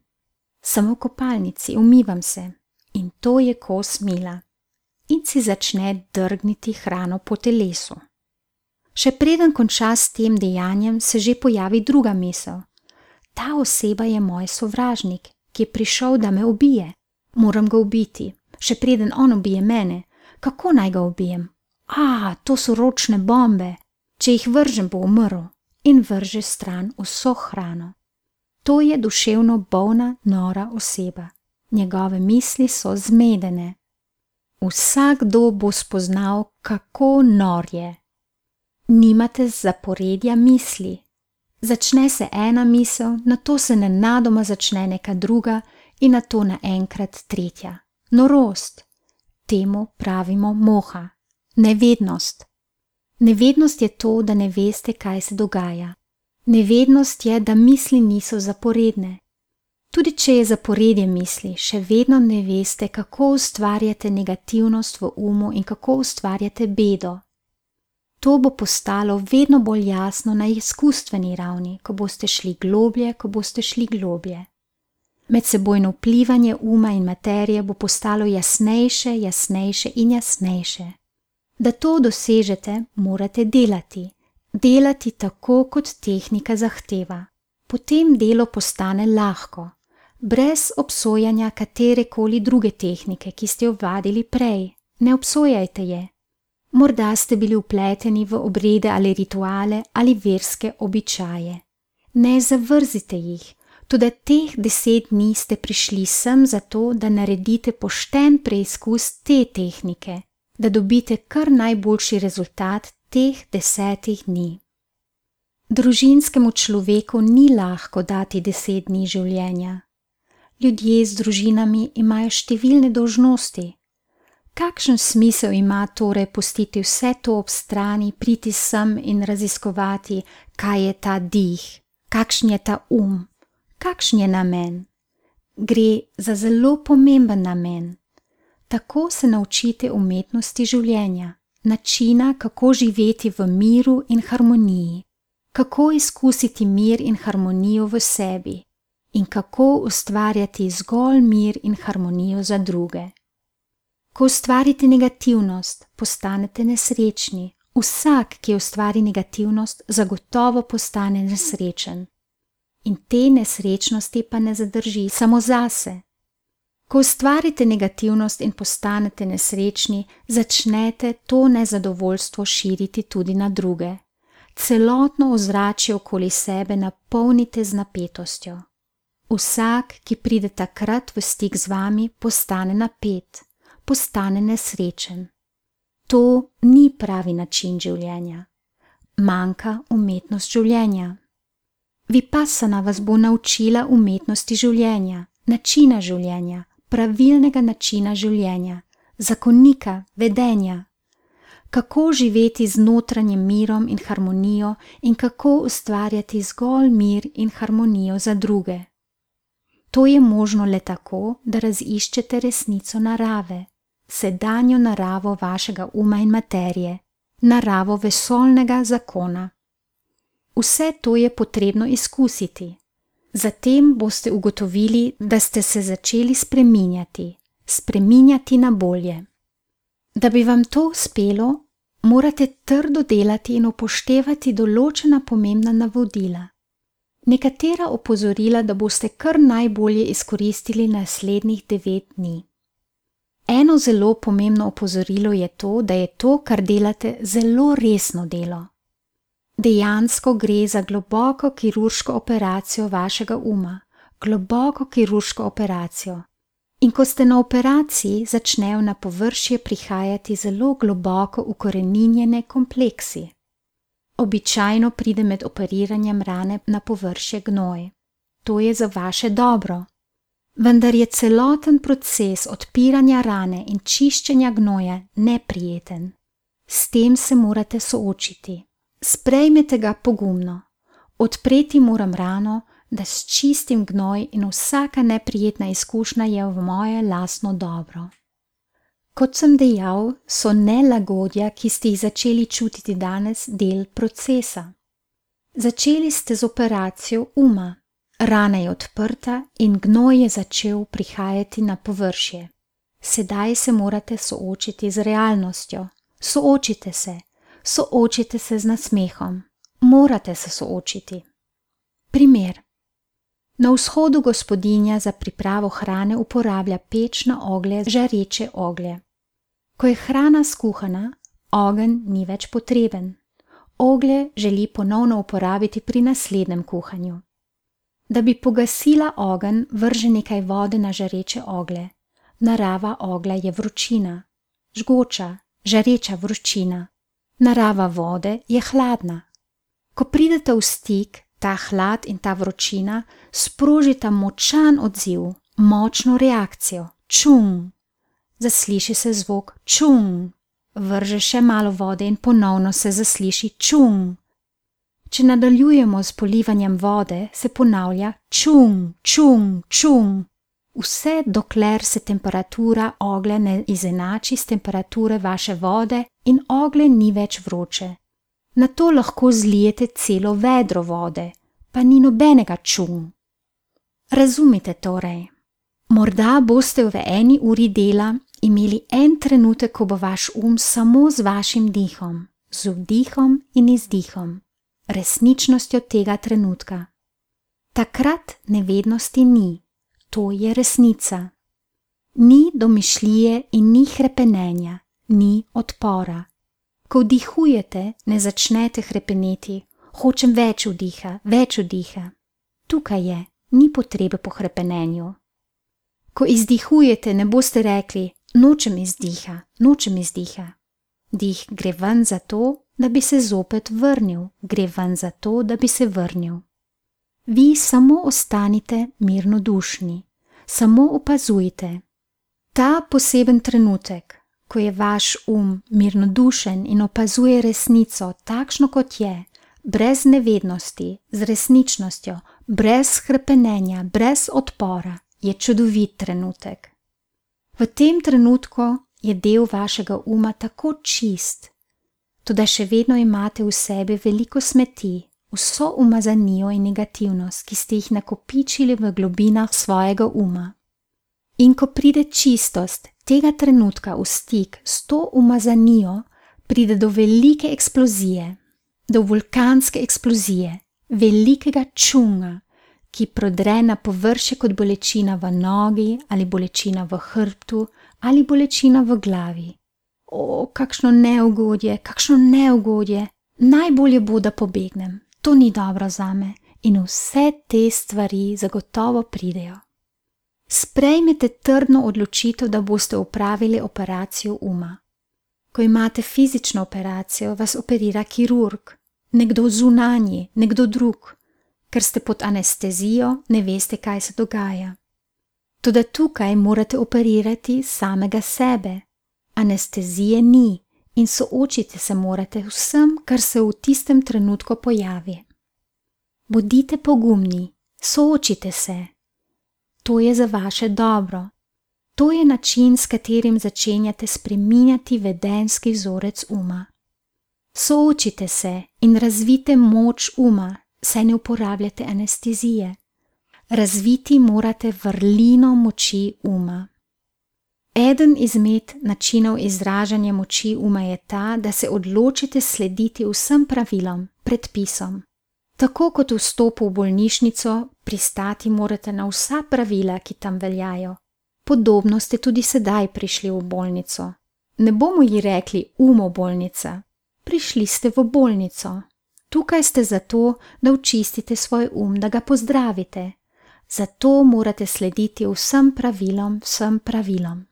Sem v kopalnici, umivam se in to je kos mila. In si začne drgniti hrano po telesu. Še preden konča s tem dejanjem, se že pojavi druga misel. Ta oseba je moj sovražnik, ki je prišel, da me ubije. Moram ga ubiti, še preden on ubije mene. Kako naj ga ubijem? To so ročne bombe. Če jih vržem, bo umrl. In vrže stran vso hrano. To je duševno bolna, nora oseba. Njegove misli so zmedene. Vsakdo bo spoznal, kako nor je. Nimate zaporedja misli. Začne se ena misel, nato se nenadoma začne neka druga in nato naenkrat tretja. Norost. Temu pravimo moha. Nevednost. Nevednost je to, da ne veste, kaj se dogaja. Nevednost je, da misli niso zaporedne. Tudi če je zaporedje misli, še vedno ne veste, kako ustvarjate negativnost v umu in kako ustvarjate bedo. To bo postalo vedno bolj jasno na izkustveni ravni, ko boste šli globlje. Medsebojno vplivanje uma in materije bo postalo jasnejše in jasnejše. Da to dosežete, morate delati. Delati tako, kot tehnika zahteva. Potem delo postane lahko, brez obsojanja katerekoli druge tehnike, ki ste jo vadili prej. Ne obsojajte je. Morda ste bili vpleteni v obrede ali rituale ali verske običaje. Ne zavrzite jih, Toda teh 10 dni ste prišli sem zato, da naredite pošten preizkus te tehnike, da dobite kar najboljši rezultat teh 10 dni. Družinskemu človeku ni lahko dati 10 dni življenja. Ljudje z družinami imajo številne dolžnosti. Kakšen smisel ima torej pustiti vse to ob strani, priti sem in raziskovati, kaj je ta dih, kakšen je ta kakšen je namen? Gre za zelo pomemben namen. Tako se naučite umetnosti življenja, načina, kako živeti v miru in harmoniji, kako izkusiti mir in harmonijo v sebi in kako ustvarjati zgolj mir in harmonijo za druge. Ko ustvarite negativnost, postanete nesrečni. Vsak, ki ustvari negativnost, zagotovo postane nesrečen. In te nesrečnosti pa ne zadrži samo zase. Ko ustvarite negativnost in postanete nesrečni, začnete to nezadovoljstvo širiti tudi na druge. Celotno ozračje okoli sebe napolnite z napetostjo. Vsak, ki pride takrat v stik z vami, postane napet, postane nesrečen. To ni pravi način življenja. Manjka umetnost življenja. Vipassana vas bo naučila umetnosti življenja, načina življenja, pravilnega načina življenja, zakonika, vedenja. Kako živeti z notranjim mirom in harmonijo in kako ustvarjati zgolj mir in harmonijo za druge. To je možno le tako, da raziščete resnico narave, sedanjo naravo vašega uma in materije, naravo vesoljnega zakona. Vse to je potrebno izkusiti. Zatem boste ugotovili, da ste se začeli spreminjati na bolje. Da bi vam to uspelo, morate trdo delati in upoštevati določena pomembna navodila. Nekatera opozorila, da boste kar najbolje izkoristili naslednjih 9 dni. Eno zelo pomembno opozorilo je to, da je to, kar delate, zelo resno delo. Dejansko gre za globoko kirurško operacijo vašega uma, globoko kirurško operacijo. In ko ste na operaciji, začnejo na površje prihajati zelo globoko ukoreninjene kompleksi. Običajno pride med operiranjem rane na površje gnoj. To je za vaše dobro. Vendar je celoten proces odpiranja rane in čiščenja gnoja neprijeten. S tem se morate soočiti. Sprejmete ga pogumno. Odpreti moram rano, da sčistim gnoj in vsaka neprijetna izkušnja je v moje lastno dobro. Kot sem dejal, so nelagodja, ki ste jih začeli čutiti danes, del procesa. Začeli ste z operacijo uma. Rana je odprta in gnoj je začel prihajati na površje. Sedaj se morate soočiti z realnostjo. Soočite se z nasmehom. Morate se soočiti. Primer. Na vzhodu gospodinja za pripravo hrane uporablja peč na oglje žareče oglje. Ko je hrana skuhana, ogenj ni več potreben. Oglje želi ponovno uporabiti pri naslednjem kuhanju. Da bi pogasila ogenj, vrže nekaj vode na žareče oglje. Narava oglja je vročina, žgoča, žareča vročina. Narava vode je hladna. Ko pridete v stik, ta hlad in ta vročina sprožita močan odziv, močno reakcijo. Čung. Zasliši se zvok čung. Vrže še malo vode in ponovno se zasliši čung. Če nadaljujemo s polivanjem vode, se ponavlja čung, čung, čung. Vse dokler se temperatura oglja ne izenači s temperature vaše vode in oglje ni več vroče. Nato lahko zlijete celo vedro vode, pa ni nobenega čung. Razumite torej. Morda boste v 1 uri dela imeli en trenutek, ko bo vaš samo z vašim dihom, z vdihom in izdihom, resničnostjo tega trenutka. Takrat nevednosti ni. To je resnica. Ni domišljije in ni hrepenenja, ni odpora. Ko vdihujete, ne začnete hrepeneti, hočem več vdiha, več vdiha. Tukaj je, ni potrebe po hrepenenju. Ko izdihujete, ne boste rekli, nočem izdiha, nočem izdiha. Dih gre ven zato, da bi se zopet vrnil, gre ven zato, da bi se vrnil. Vi samo ostanite mirnodušni, samo opazujte. Ta poseben trenutek, ko je vaš mirnodušen in opazuje resnico takšno, kot je, brez nevednosti, z resničnostjo, brez hrepenenja, brez odpora, je čudovit trenutek. V tem trenutku je del vašega tako čist, toda še vedno imate v sebi veliko smeti, vso umazanijo in negativnost, ki ste jih nakopičili v globinah svojega In ko pride čistost tega trenutka v stik s to umazanijo, pride do velike eksplozije, do vulkanske eksplozije, velikega čunga, ki prodre na površje kot bolečina v nogi ali bolečina v hrbtu ali bolečina v glavi. O, kakšno neugodje, najbolje bo, da pobegnem, to ni dobro zame in vse te stvari zagotovo pridejo. Sprejmete trdno odločitev, da boste opravili operacijo Ko imate fizično operacijo, vas operira kirurg, nekdo zunanji, nekdo drug. Ker ste pod anestezijo, ne veste, kaj se dogaja. Toda tukaj morate operirati samega sebe. Anestezije ni in soočiti se morate vsem, kar se v tistem trenutku pojavi. Bodite pogumni, soočite se. To je za vaše dobro. To je način, s katerim začenjate spreminjati vedenjski vzorec Soočite se in razvite moč saj ne uporabljate anestezije. Razviti morate vrlino moči Eden izmed načinov izražanja moči je ta, da se odločite slediti vsem pravilom, predpisom. Tako kot v vstopu v bolnišnico, pristati morate na vsa pravila, ki tam veljajo. Podobno ste tudi sedaj prišli v bolnico. Ne bomo ji rekli bolnica. Prišli ste v bolnico. Tukaj ste zato, da očistite svoj da ga pozdravite. Zato morate slediti vsem pravilom.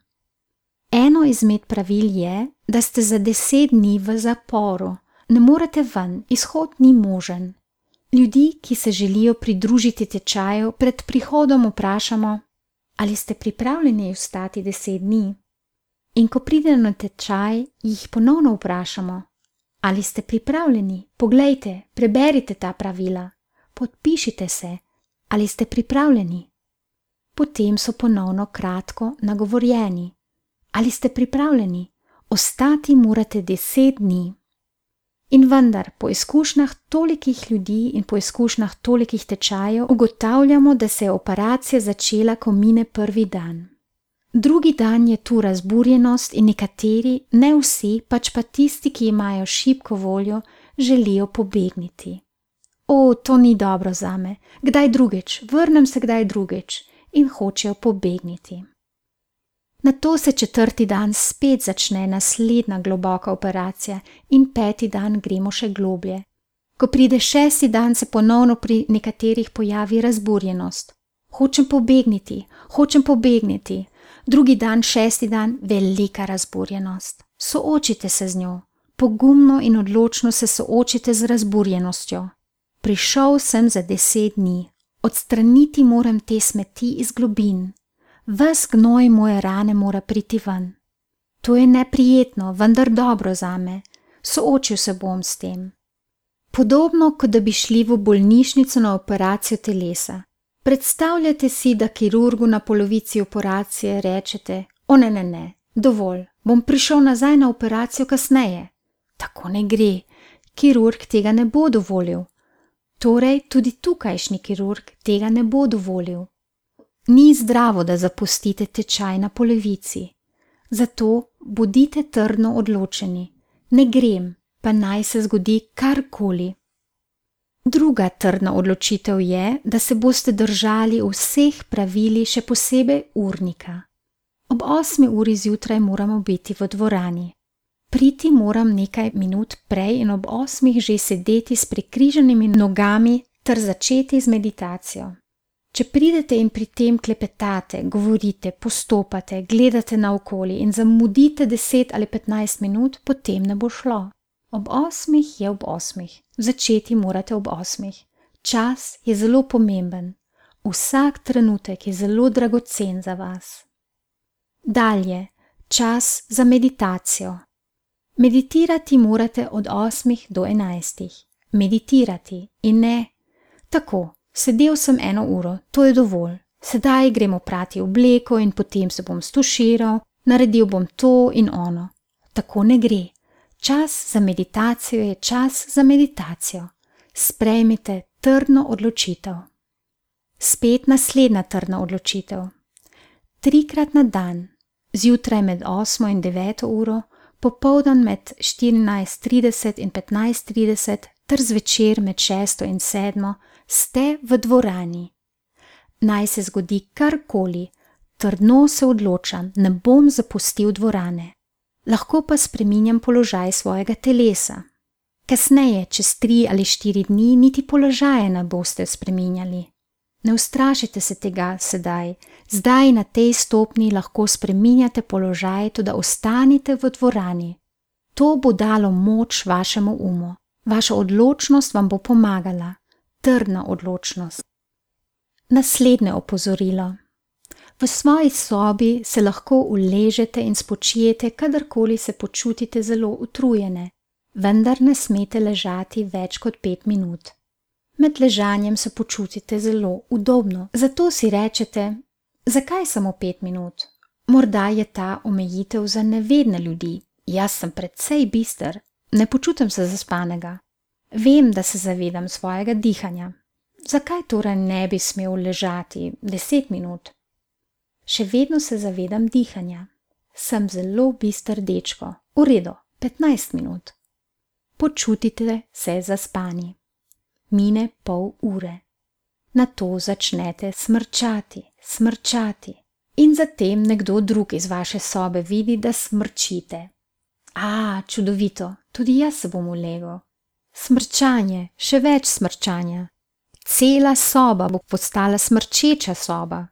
Eno izmed pravil je, da ste za 10 dni v zaporu. Ne morete ven, izhod ni možen. Ljudi, ki se želijo pridružiti tečaju, pred prihodom vprašamo, ali ste pripravljeni ostati 10 dni? In ko pride na tečaj, jih ponovno vprašamo, ali ste pripravljeni? Poglejte, preberite ta pravila, podpišite se, ali ste pripravljeni? Potem so ponovno kratko nagovorjeni. Ali ste pripravljeni? Ostati morate 10 dni. In vendar, po izkušnjah tolikih ljudi in po izkušnjah tolikih tečajev ugotavljamo, da se je operacija začela, ko mine prvi dan. Drugi dan je tu razburjenost in nekateri, ne vsi, pač pa tisti, ki imajo šibko voljo, želijo pobegniti. O, to ni dobro zame, kdaj drugič, vrnem se kdaj drugič, in hočejo pobegniti. Nato se 4. dan spet začne naslednja globoka operacija in 5. dan gremo še globlje. Ko pride 6. dan, se ponovno pri nekaterih pojavi razburjenost. Hočem pobegniti. Drugi dan, 6. dan, velika razburjenost. Soočite se z njo. Pogumno in odločno se soočite z razburjenostjo. Prišel sem za 10 dni. Odstraniti moram te smeti iz globin. Ves gnoj moje rane mora priti ven. To je neprijetno, vendar dobro zame. Soočil se bom s tem. Podobno, kot da bi šli v bolnišnico na operacijo telesa. Predstavljate si, da kirurgu na polovici operacije rečete, o ne, dovolj, bom prišel nazaj na operacijo kasneje. Tako ne gre, kirurg tega ne bo dovolil. Torej, tudi tukajšnji kirurg tega ne bo dovolil. Ni zdravo, da zapustite tečaj na polovici. Zato bodite trdno odločeni. Ne grem, pa naj se zgodi karkoli. Druga trdna odločitev je, da se boste držali vseh pravili, še posebej urnika. Ob 8. uri zjutraj moramo biti v dvorani. Priti moram nekaj minut prej in ob 8. že sedeti s prekrižanimi nogami ter začeti z meditacijo. Če pridete in pri tem klepetate, govorite, postopate, gledate naokoli in zamudite 10 ali 15 minut, potem ne bo šlo. Ob 8 je ob 8, začeti morate ob 8. Čas je zelo pomemben. Vsak trenutek je zelo dragocen za vas. Dalje, čas za meditacijo. Meditirati morate od 8 do 11. Meditirati in ne tako. Sedel sem 1 uro, to je dovolj. Sedaj gremo prati obleko in potem se bom stuširal, naredil bom to in ono. Tako ne gre. Čas za meditacijo je čas za meditacijo. Sprejmite trdno odločitev. Spet naslednja trdna odločitev. 3-krat na dan, zjutraj med 8 in 9 uro, popoldan med 14:30 in 15:30 ter zvečer med 6 in 7 ste v dvorani. Naj se zgodi karkoli, trdno se odločam, ne bom zapustil dvorane. Lahko pa spreminjam položaj svojega telesa. Kasneje, čez 3 ali 4 dni, niti položaje ne boste spreminjali. Ne ustrašite se tega sedaj. Zdaj na tej stopni lahko spreminjate položaj, tudi ostanite v dvorani. To bo dalo moč vašemu umu. Vaša odločnost vam bo pomagala. Trdna odločnost. Naslednje opozorilo. V svoji sobi se lahko uležete in spočijete, kadarkoli se počutite zelo utrujene, vendar ne smete ležati več kot 5 minut. Med ležanjem se počutite zelo udobno, zato si rečete, zakaj samo 5 minut? Morda je ta omejitev za nevedne ljudi. Jaz sem precej bister, ne počutim se zaspanega. Vem, da se zavedam svojega dihanja. Zakaj torej ne bi smel ležati 10 minut? Še vedno se zavedam dihanja. Sem zelo bister dečko. V redu, 15 minut. Počutite se zaspani. Mine pol ure. Nato začnete smrčati. In zatem nekdo drug iz vaše sobe vidi, da smrčite. Čudovito, tudi jaz se bom ulegel. Smrčanje, še več smrčanja. Cela soba bo postala smrčeča soba.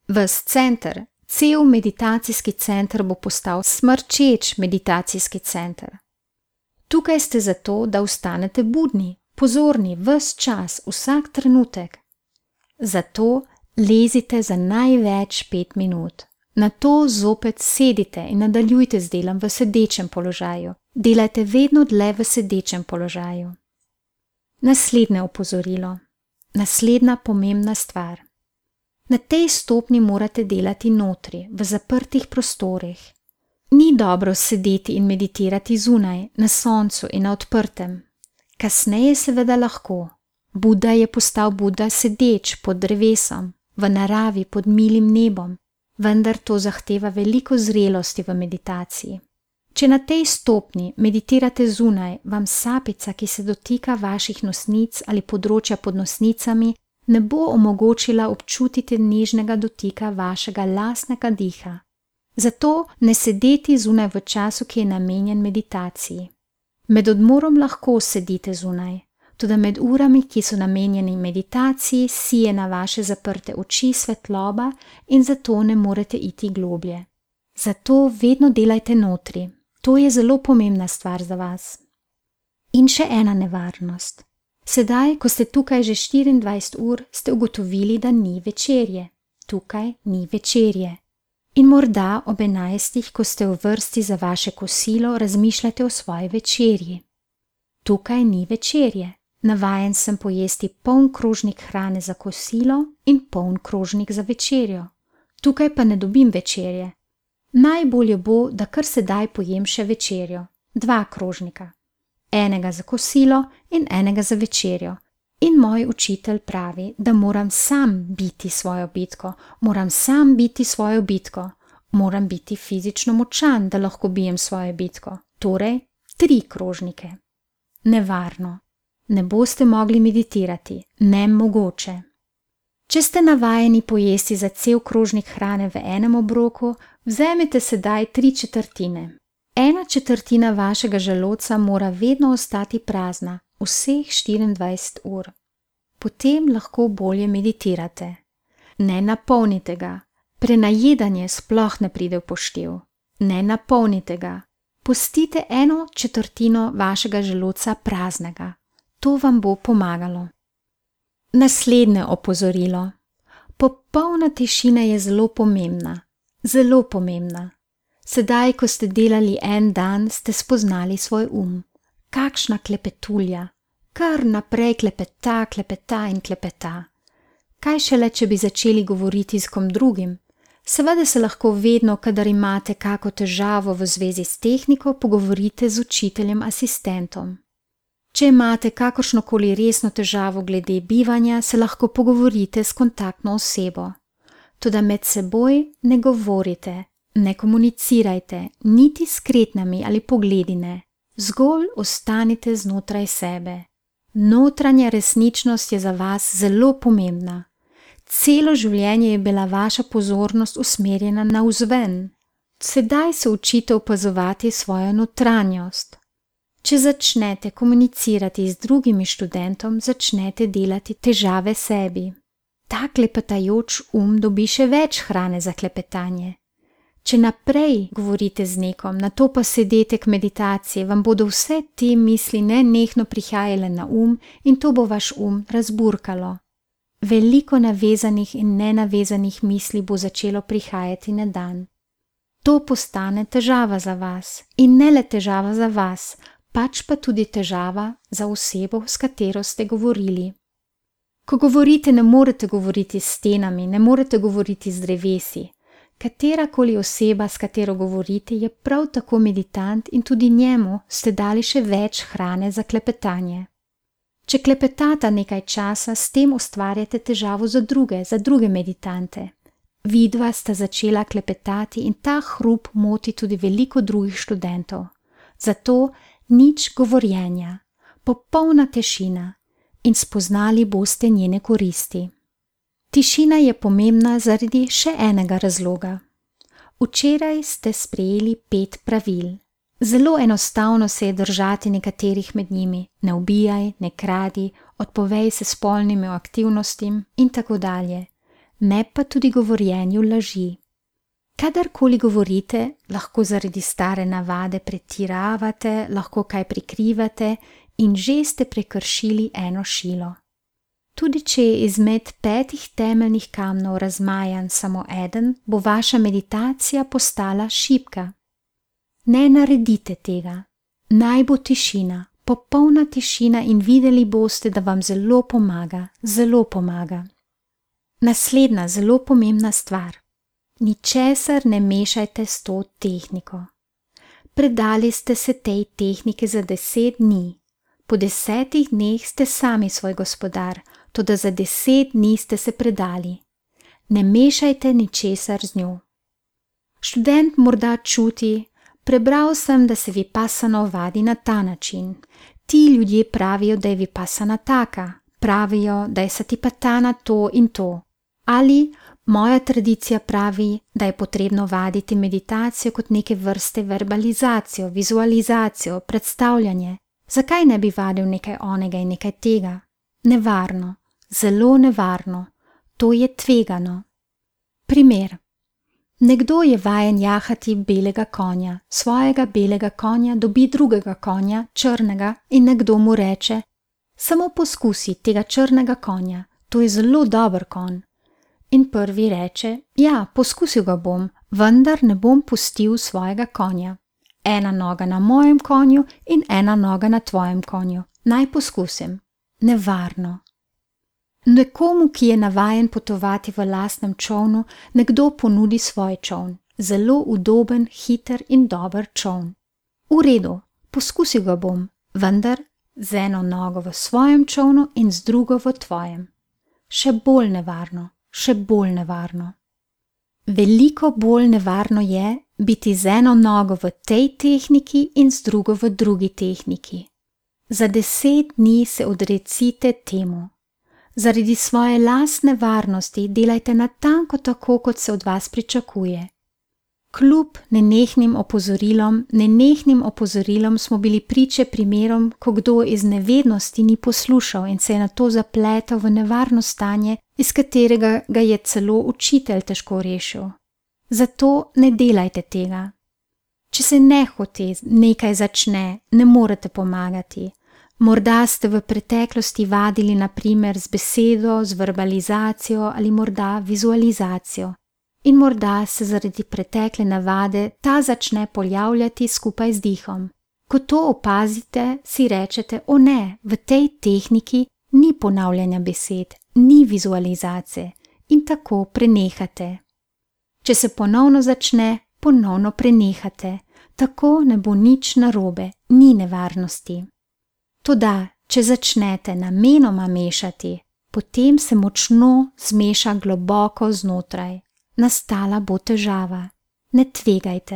Ves center, cel meditacijski center bo postal smrčeč meditacijski center. Tukaj ste zato, da ostanete budni, pozorni ves čas, vsak trenutek. Zato lezite za največ 5 minut. Nato zopet sedite in nadaljujte z delom v sedečem položaju. Delajte vedno dlje v sedečem položaju. Naslednje opozorilo. Naslednja pomembna stvar. Na tej stopni morate delati notri, v zaprtih prostorih. Ni dobro sedeti in meditirati zunaj, na soncu in na odprtem. Kasneje seveda lahko. Buda je postal Buda sedeč pod drevesom, v naravi pod milim nebom, vendar to zahteva veliko zrelosti v meditaciji. Če na tej stopni meditirate zunaj, vam sapica, ki se dotika vaših nosnic ali področja pod nosnicami, ne bo omogočila občutiti nežnega dotika vašega lastnega diha. Zato ne sedeti zunaj v času, ki je namenjen meditaciji. Med odmorom lahko sedite zunaj, toda med urami, ki so namenjeni meditaciji, sije na vaše zaprte oči svetloba in zato ne morete iti globlje. Zato vedno delajte notri. To je zelo pomembna stvar za vas. In še ena nevarnost. Sedaj, ko ste tukaj že 24 ur, ste ugotovili, da ni večerje. Tukaj ni večerje. In morda ob 11, ko ste v vrsti za vaše kosilo, razmišljate o svoji večerji. Tukaj ni večerje. Navajen sem pojesti poln krožnik hrane za kosilo in poln krožnik za večerjo. Tukaj pa ne dobim večerje. Najbolje bo, da kar sedaj pojem še večerjo. 2 krožnika. Enega za kosilo in enega za večerjo. In moj učitelj pravi, da moram sam biti svojo bitko, moram biti fizično močan, da lahko bijem svojo bitko. Torej, 3 krožnike. Nevarno. Ne boste mogli meditirati, nemogoče. Če ste navajeni pojesti za cel krožnik hrane v enem obroku, vzemite sedaj 3/4. 1/4 vašega želodca mora vedno ostati prazna, vseh 24 ur. Potem lahko bolje meditirate. Ne napolnite ga. Prenajedanje sploh ne pride v poštev. Ne napolnite ga. Pustite 1/4 vašega želodca praznega. To vam bo pomagalo. Naslednje opozorilo. Popolna tišina je zelo pomembna. Zelo pomembna. Sedaj, ko ste delali en dan, ste spoznali svoj Kakšna klepetulja. Kar naprej klepeta in klepeta. Kaj šele, če bi začeli govoriti s kom drugim? Seveda se lahko vedno, kadar imate kako težavo v zvezi s tehniko, pogovorite z učiteljem asistentom. Če imate kakršnokoli resno težavo glede bivanja, se lahko pogovorite s kontaktno osebo. Toda med seboj ne govorite, ne komunicirajte, niti s kretnjami ali pogledi ne. Zgolj ostanite znotraj sebe. Notranja resničnost je za vas zelo pomembna. Celo življenje je bila vaša pozornost usmerjena navzven. Sedaj se učite opazovati svojo notranjost. Če začnete komunicirati z drugimi študentom, začnete delati težave sebi. Ta klepetajoč dobi še več hrane za klepetanje. Če naprej govorite z nekom, nato pa sedete k meditaciji, vam bodo vse te misli nenehno prihajale na in to bo vaš razburkalo. Veliko navezanih in nenavezanih misli bo začelo prihajati na dan. To postane težava za vas in ne le težava za vas, pač pa tudi težava za osebo, s katero ste govorili. Ko govorite, ne morete govoriti s stenami, ne morete govoriti z drevesi. Katerakoli oseba, s katero govorite, je prav tako meditant in tudi njemu ste dali še več hrane za klepetanje. Če klepetata nekaj časa, s tem ustvarjate težavo za druge meditante. Vidva sta začela klepetati in ta hrup moti tudi veliko drugih študentov. Zato nič govorjenja, popolna tišina in spoznali boste njene koristi. Tišina je pomembna zaradi še enega razloga. Včeraj ste sprejeli 5 pravil. Zelo enostavno se je držati nekaterih med njimi. Ne ubijaj, ne kradi, odpovej se spolnim aktivnostim in tako dalje. Ne pa tudi govorjenju laži. Kadarkoli govorite, lahko zaradi stare navade pretiravate, lahko kaj prikrivate in že ste prekršili eno šilo. Tudi če je izmed 5 temeljnih kamnov razmajan samo eden, bo vaša meditacija postala šibka. Ne naredite tega. Naj bo tišina, popolna tišina in videli boste, da vam zelo pomaga, zelo pomaga. Naslednja zelo pomembna stvar. Ničesar ne mešajte s to tehniko. Predali ste se tej tehniki za 10 dni. Po 10 dneh ste sami svoj gospodar, toda za 10 dni ste se predali. Ne mešajte ničesar z njo. Študent morda čuti, prebral sem, da se vipassana vadi na ta način. Ti ljudje pravijo, da je vipassana taka, pravijo, da je satipatthana to in to. Ali moja tradicija pravi, da je potrebno vaditi meditacijo kot neke vrste verbalizacijo, vizualizacijo, predstavljanje. Zakaj ne bi vadil nekaj onega in nekaj tega? Nevarno, zelo nevarno, to je tvegano. Primer. Nekdo je vajen jahati belega konja, svojega belega konja dobi drugega konja, črnega, in nekdo mu reče: samo poskusi tega črnega konja, to je zelo dober konj. In prvi reče: ja, poskusil ga bom, vendar ne bom pustil svojega konja. Ena noga na mojem konju in ena noga na tvojem konju. Naj poskusim. Nevarno. Nekomu, ki je navajen potovati v lastnem čolnu, nekdo ponudi svoj čoln. Zelo udoben, hiter in dober čoln. V redu, poskusil ga bom, vendar z eno nogo v svojem čolnu in z drugo v tvojem. Še bolj nevarno, še bolj nevarno. Veliko bolj nevarno je biti z eno nogo v tej tehniki in z drugo v drugi tehniki. Za 10 dni se odrecite temu. Zaradi svoje lastne varnosti delajte natanko tako, kot se od vas pričakuje. Kljub nenehnim opozorilom smo bili priče primerom, ko kdo iz nevednosti ni poslušal in se je nato zapletel v nevarno stanje, iz katerega ga je celo učitelj težko rešil. Zato ne delajte tega. Če se nehote nekaj začne, ne morete pomagati. Morda ste v preteklosti vadili na primer z besedo, z verbalizacijo ali morda vizualizacijo. In morda se zaradi pretekle navade ta začne pojavljati skupaj z dihom. Ko to opazite, si rečete, o ne, v tej tehniki ni ponavljanja besed, ni vizualizacije in tako prenehate. Če se ponovno začne, ponovno prenehate, tako ne bo nič narobe, ni nevarnosti. Toda, če začnete namenoma mešati, potem se močno zmeša globoko znotraj. Nastala bo težava. Ne tvegajte.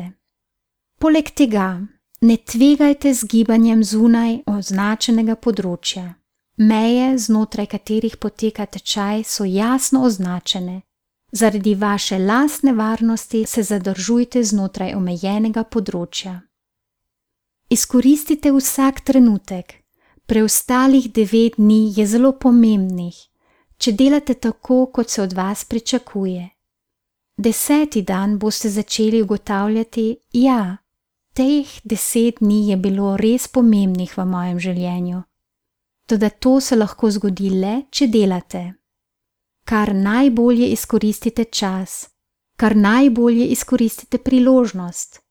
Poleg tega, ne tvegajte z gibanjem zunaj označenega področja. Meje, znotraj katerih poteka tečaj, so jasno označene. Zaradi vaše lastne varnosti se zadržujte znotraj omejenega področja. Izkoristite vsak trenutek. Preostalih 9 dni je zelo pomembnih, če delate tako, kot se od vas pričakuje. 10. dan boste začeli ugotavljati, ja, teh 10 dni je bilo res pomembnih v mojem življenju. Toda to se lahko zgodi le, če delate. Kar najbolje izkoristite čas, kar najbolje izkoristite priložnost,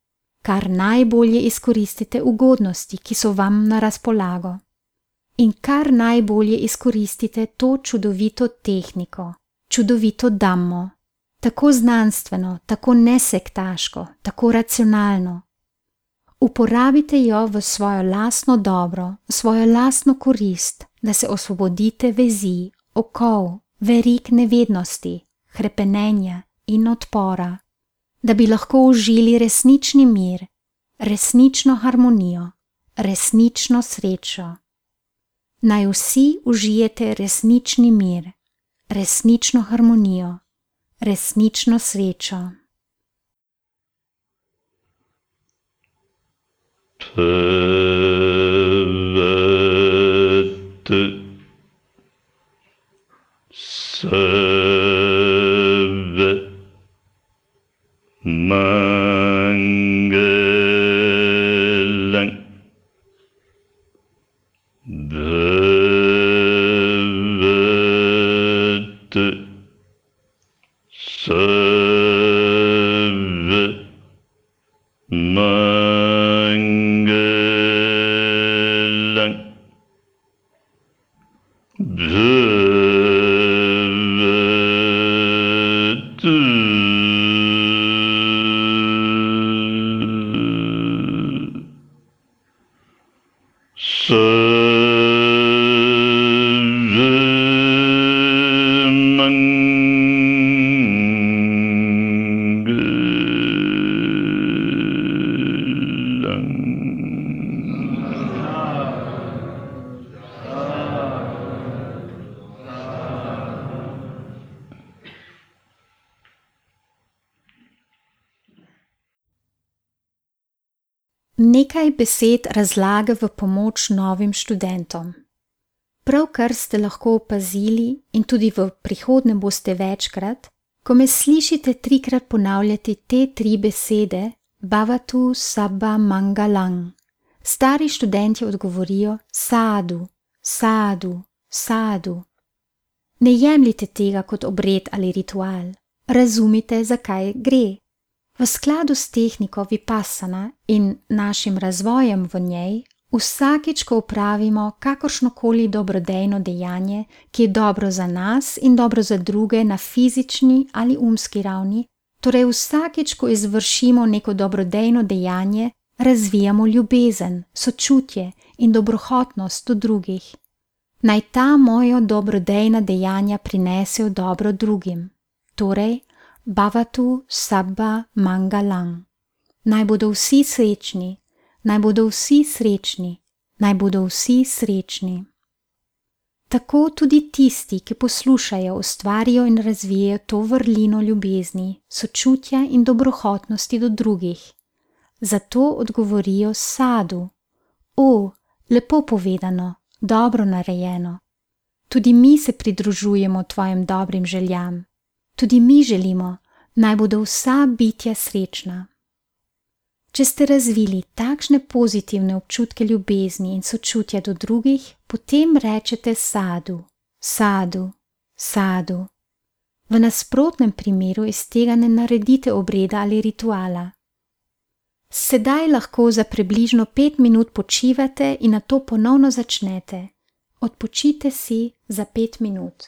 kar najbolje izkoristite ugodnosti, ki so vam na razpolago. In kar najbolje izkoristite to čudovito tehniko, čudovito dhammo. Tako znanstveno, tako nesektaško, tako racionalno. Uporabite jo v svojo lastno dobro, v svojo lastno korist, da se osvobodite vezi, okov, verig nevednosti, hrepenenja in odpora, da bi lahko užili resnični mir, resnično harmonijo, resnično srečo. Naj vsi užijete resnični mir, resnično harmonijo, resnično srečo. Nekaj besed razlage v pomoč novim študentom. Pravkar ste lahko opazili in tudi v prihodnje boste večkrat, ko me slišite 3-krat ponavljati te 3 besede, Bhavatu Sabba Mangalang. Stari študenti odgovorijo Sadu, Sadu, Sadu. Ne jemljite tega kot obred ali ritual. Razumite, zakaj gre. V skladu s tehniko vipassana in našim razvojem v njej, vsakič, ko opravimo kakršnokoli dobrodejno dejanje, ki je dobro za nas in dobro za druge na fizični ali umski ravni, torej vsakič, ko izvršimo neko dobrodejno dejanje, razvijamo ljubezen, sočutje in dobrohotnost do drugih. Naj ta moja dobrodejna dejanja prinesejo dobro drugim. Torej, Bhavatu Sabba Mangalang. Naj bodo vsi srečni, naj bodo vsi srečni, naj bodo vsi srečni. Tako tudi tisti, ki poslušajo, ustvarijo in razvijajo to vrlino ljubezni, sočutja in dobrohotnosti do drugih. Zato odgovorijo sadu: O, lepo povedano, dobro narejeno. Tudi mi se pridružujemo tvojim dobrim željam. Tudi mi želimo, naj bodo vsa bitja srečna. Če ste razvili takšne pozitivne občutke ljubezni in sočutja do drugih, potem rečete sadu, sadu, sadu. V nasprotnem primeru iz tega ne naredite obreda ali rituala. Sedaj lahko za približno 5 minut počivate in nato ponovno začnete. Odpočijte si za 5 minut.